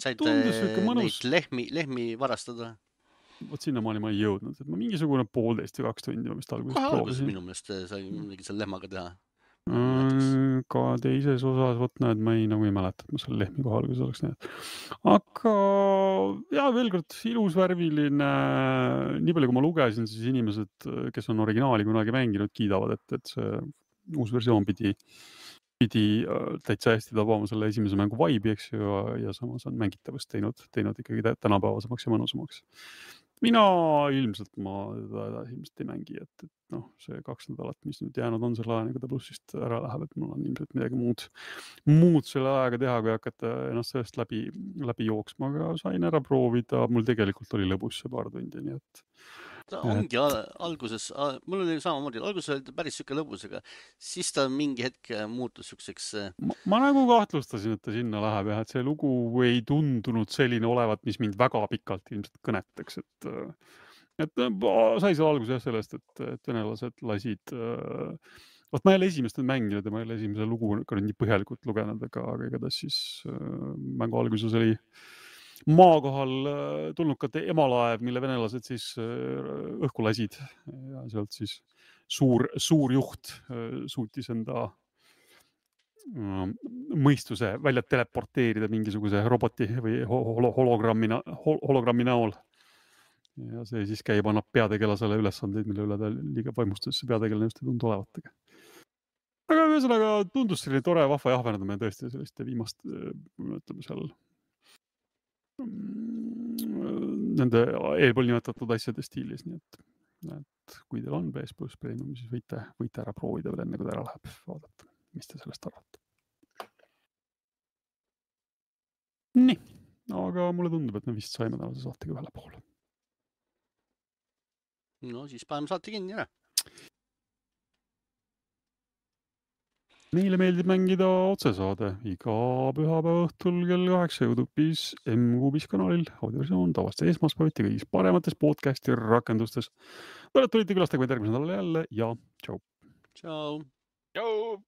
said neid lehmi, lehmi varastada? Vot sinna maani ma ei jõudnud. Et ma mingisugune poolteist või kaks tundi ma vist alguses proovisin. Minu meelest sai midagi seal lehmaga teha. Mm, ka teises osas, võt näed, ma ei, nagu ei mäleta, et ma seal lehmi koha alguses oleks näed. Aga ja veel kord ilus värviline, nii palju kui ma lugesin, siis inimesed, kes on originaali kunagi mänginud, kiidavad, et, et see uus versioon pidi, pidi täitsa hästi tabama selle esimese mängu vibe'i, eks ju, ja, ja samas on mängitavust teinud, teinud ikkagi tänapäevasemaks ja mõnusamaks. Mina ilmselt ma teda edasi ilmselt ei mängi, et, et noh, see kaks nädalat, mis nüüd jäänud on selle ajaga ta plussist ära läheb, et mul on ilmselt midagi muud, muud selle ajaga teha, kui hakata ennast sellest läbi, läbi jooksma, aga sain ära proovida, mul tegelikult oli lõbus see paar tundi, nii et ta ongi al alguses, mul oli samamoodi, alguses oli ta päris siuke lõbus, aga siis ta mingi hetk muutus siukseks. Ma, ma nagu kahtlustasin, et ta sinna läheb ja et see lugu ei tundunud selline olevat, mis mind väga pikalt ilmselt kõnetaks, et et sai seal alguses jah sellest, et, et venelased lasid vot ma ei ole esimest mänginud ja ma ei ole esimese lugu ka nii põhjalikult lugenud, aga, aga igatahes siis mängu alguses oli maakohal tulnukate emalaev, mille venelased siis õhku lasid ja sealt siis suur, suur juht suutis enda mõistuse välja teleporteerida mingisuguse roboti või hologrammi, hologrammi näol. Ja see siis käib, annab peategelasele ülesandeid, mille üle ta liiga vaimustas, peategelane just ei tundu olevat. Aga ühesõnaga tundus selline tore vahva jahverdamine tõesti selliste viimast, ütleme seal nende eelpool nimetatud asjade stiilis, nii et, et kui teil on P S Plus Premium, siis võite, võite ära proovida veel enne, kui ta ära läheb vaadata, mis te sellest arvate. Nii, aga mulle tundub, et me vist saime tänase saatega ühele poole. No siis paneme saate kinni ära. Meile meeldib mängida otsesaade iga pühapäeva õhtul kell kaheksa YouTube'is M-Kuubis kanalil, audioversioon tavasti esmaspäeviti kõigis paremates podcasti rakendustes. Tulite külastage meid järgmisel nädalal jälle ja tšau. Tšau. Tšau.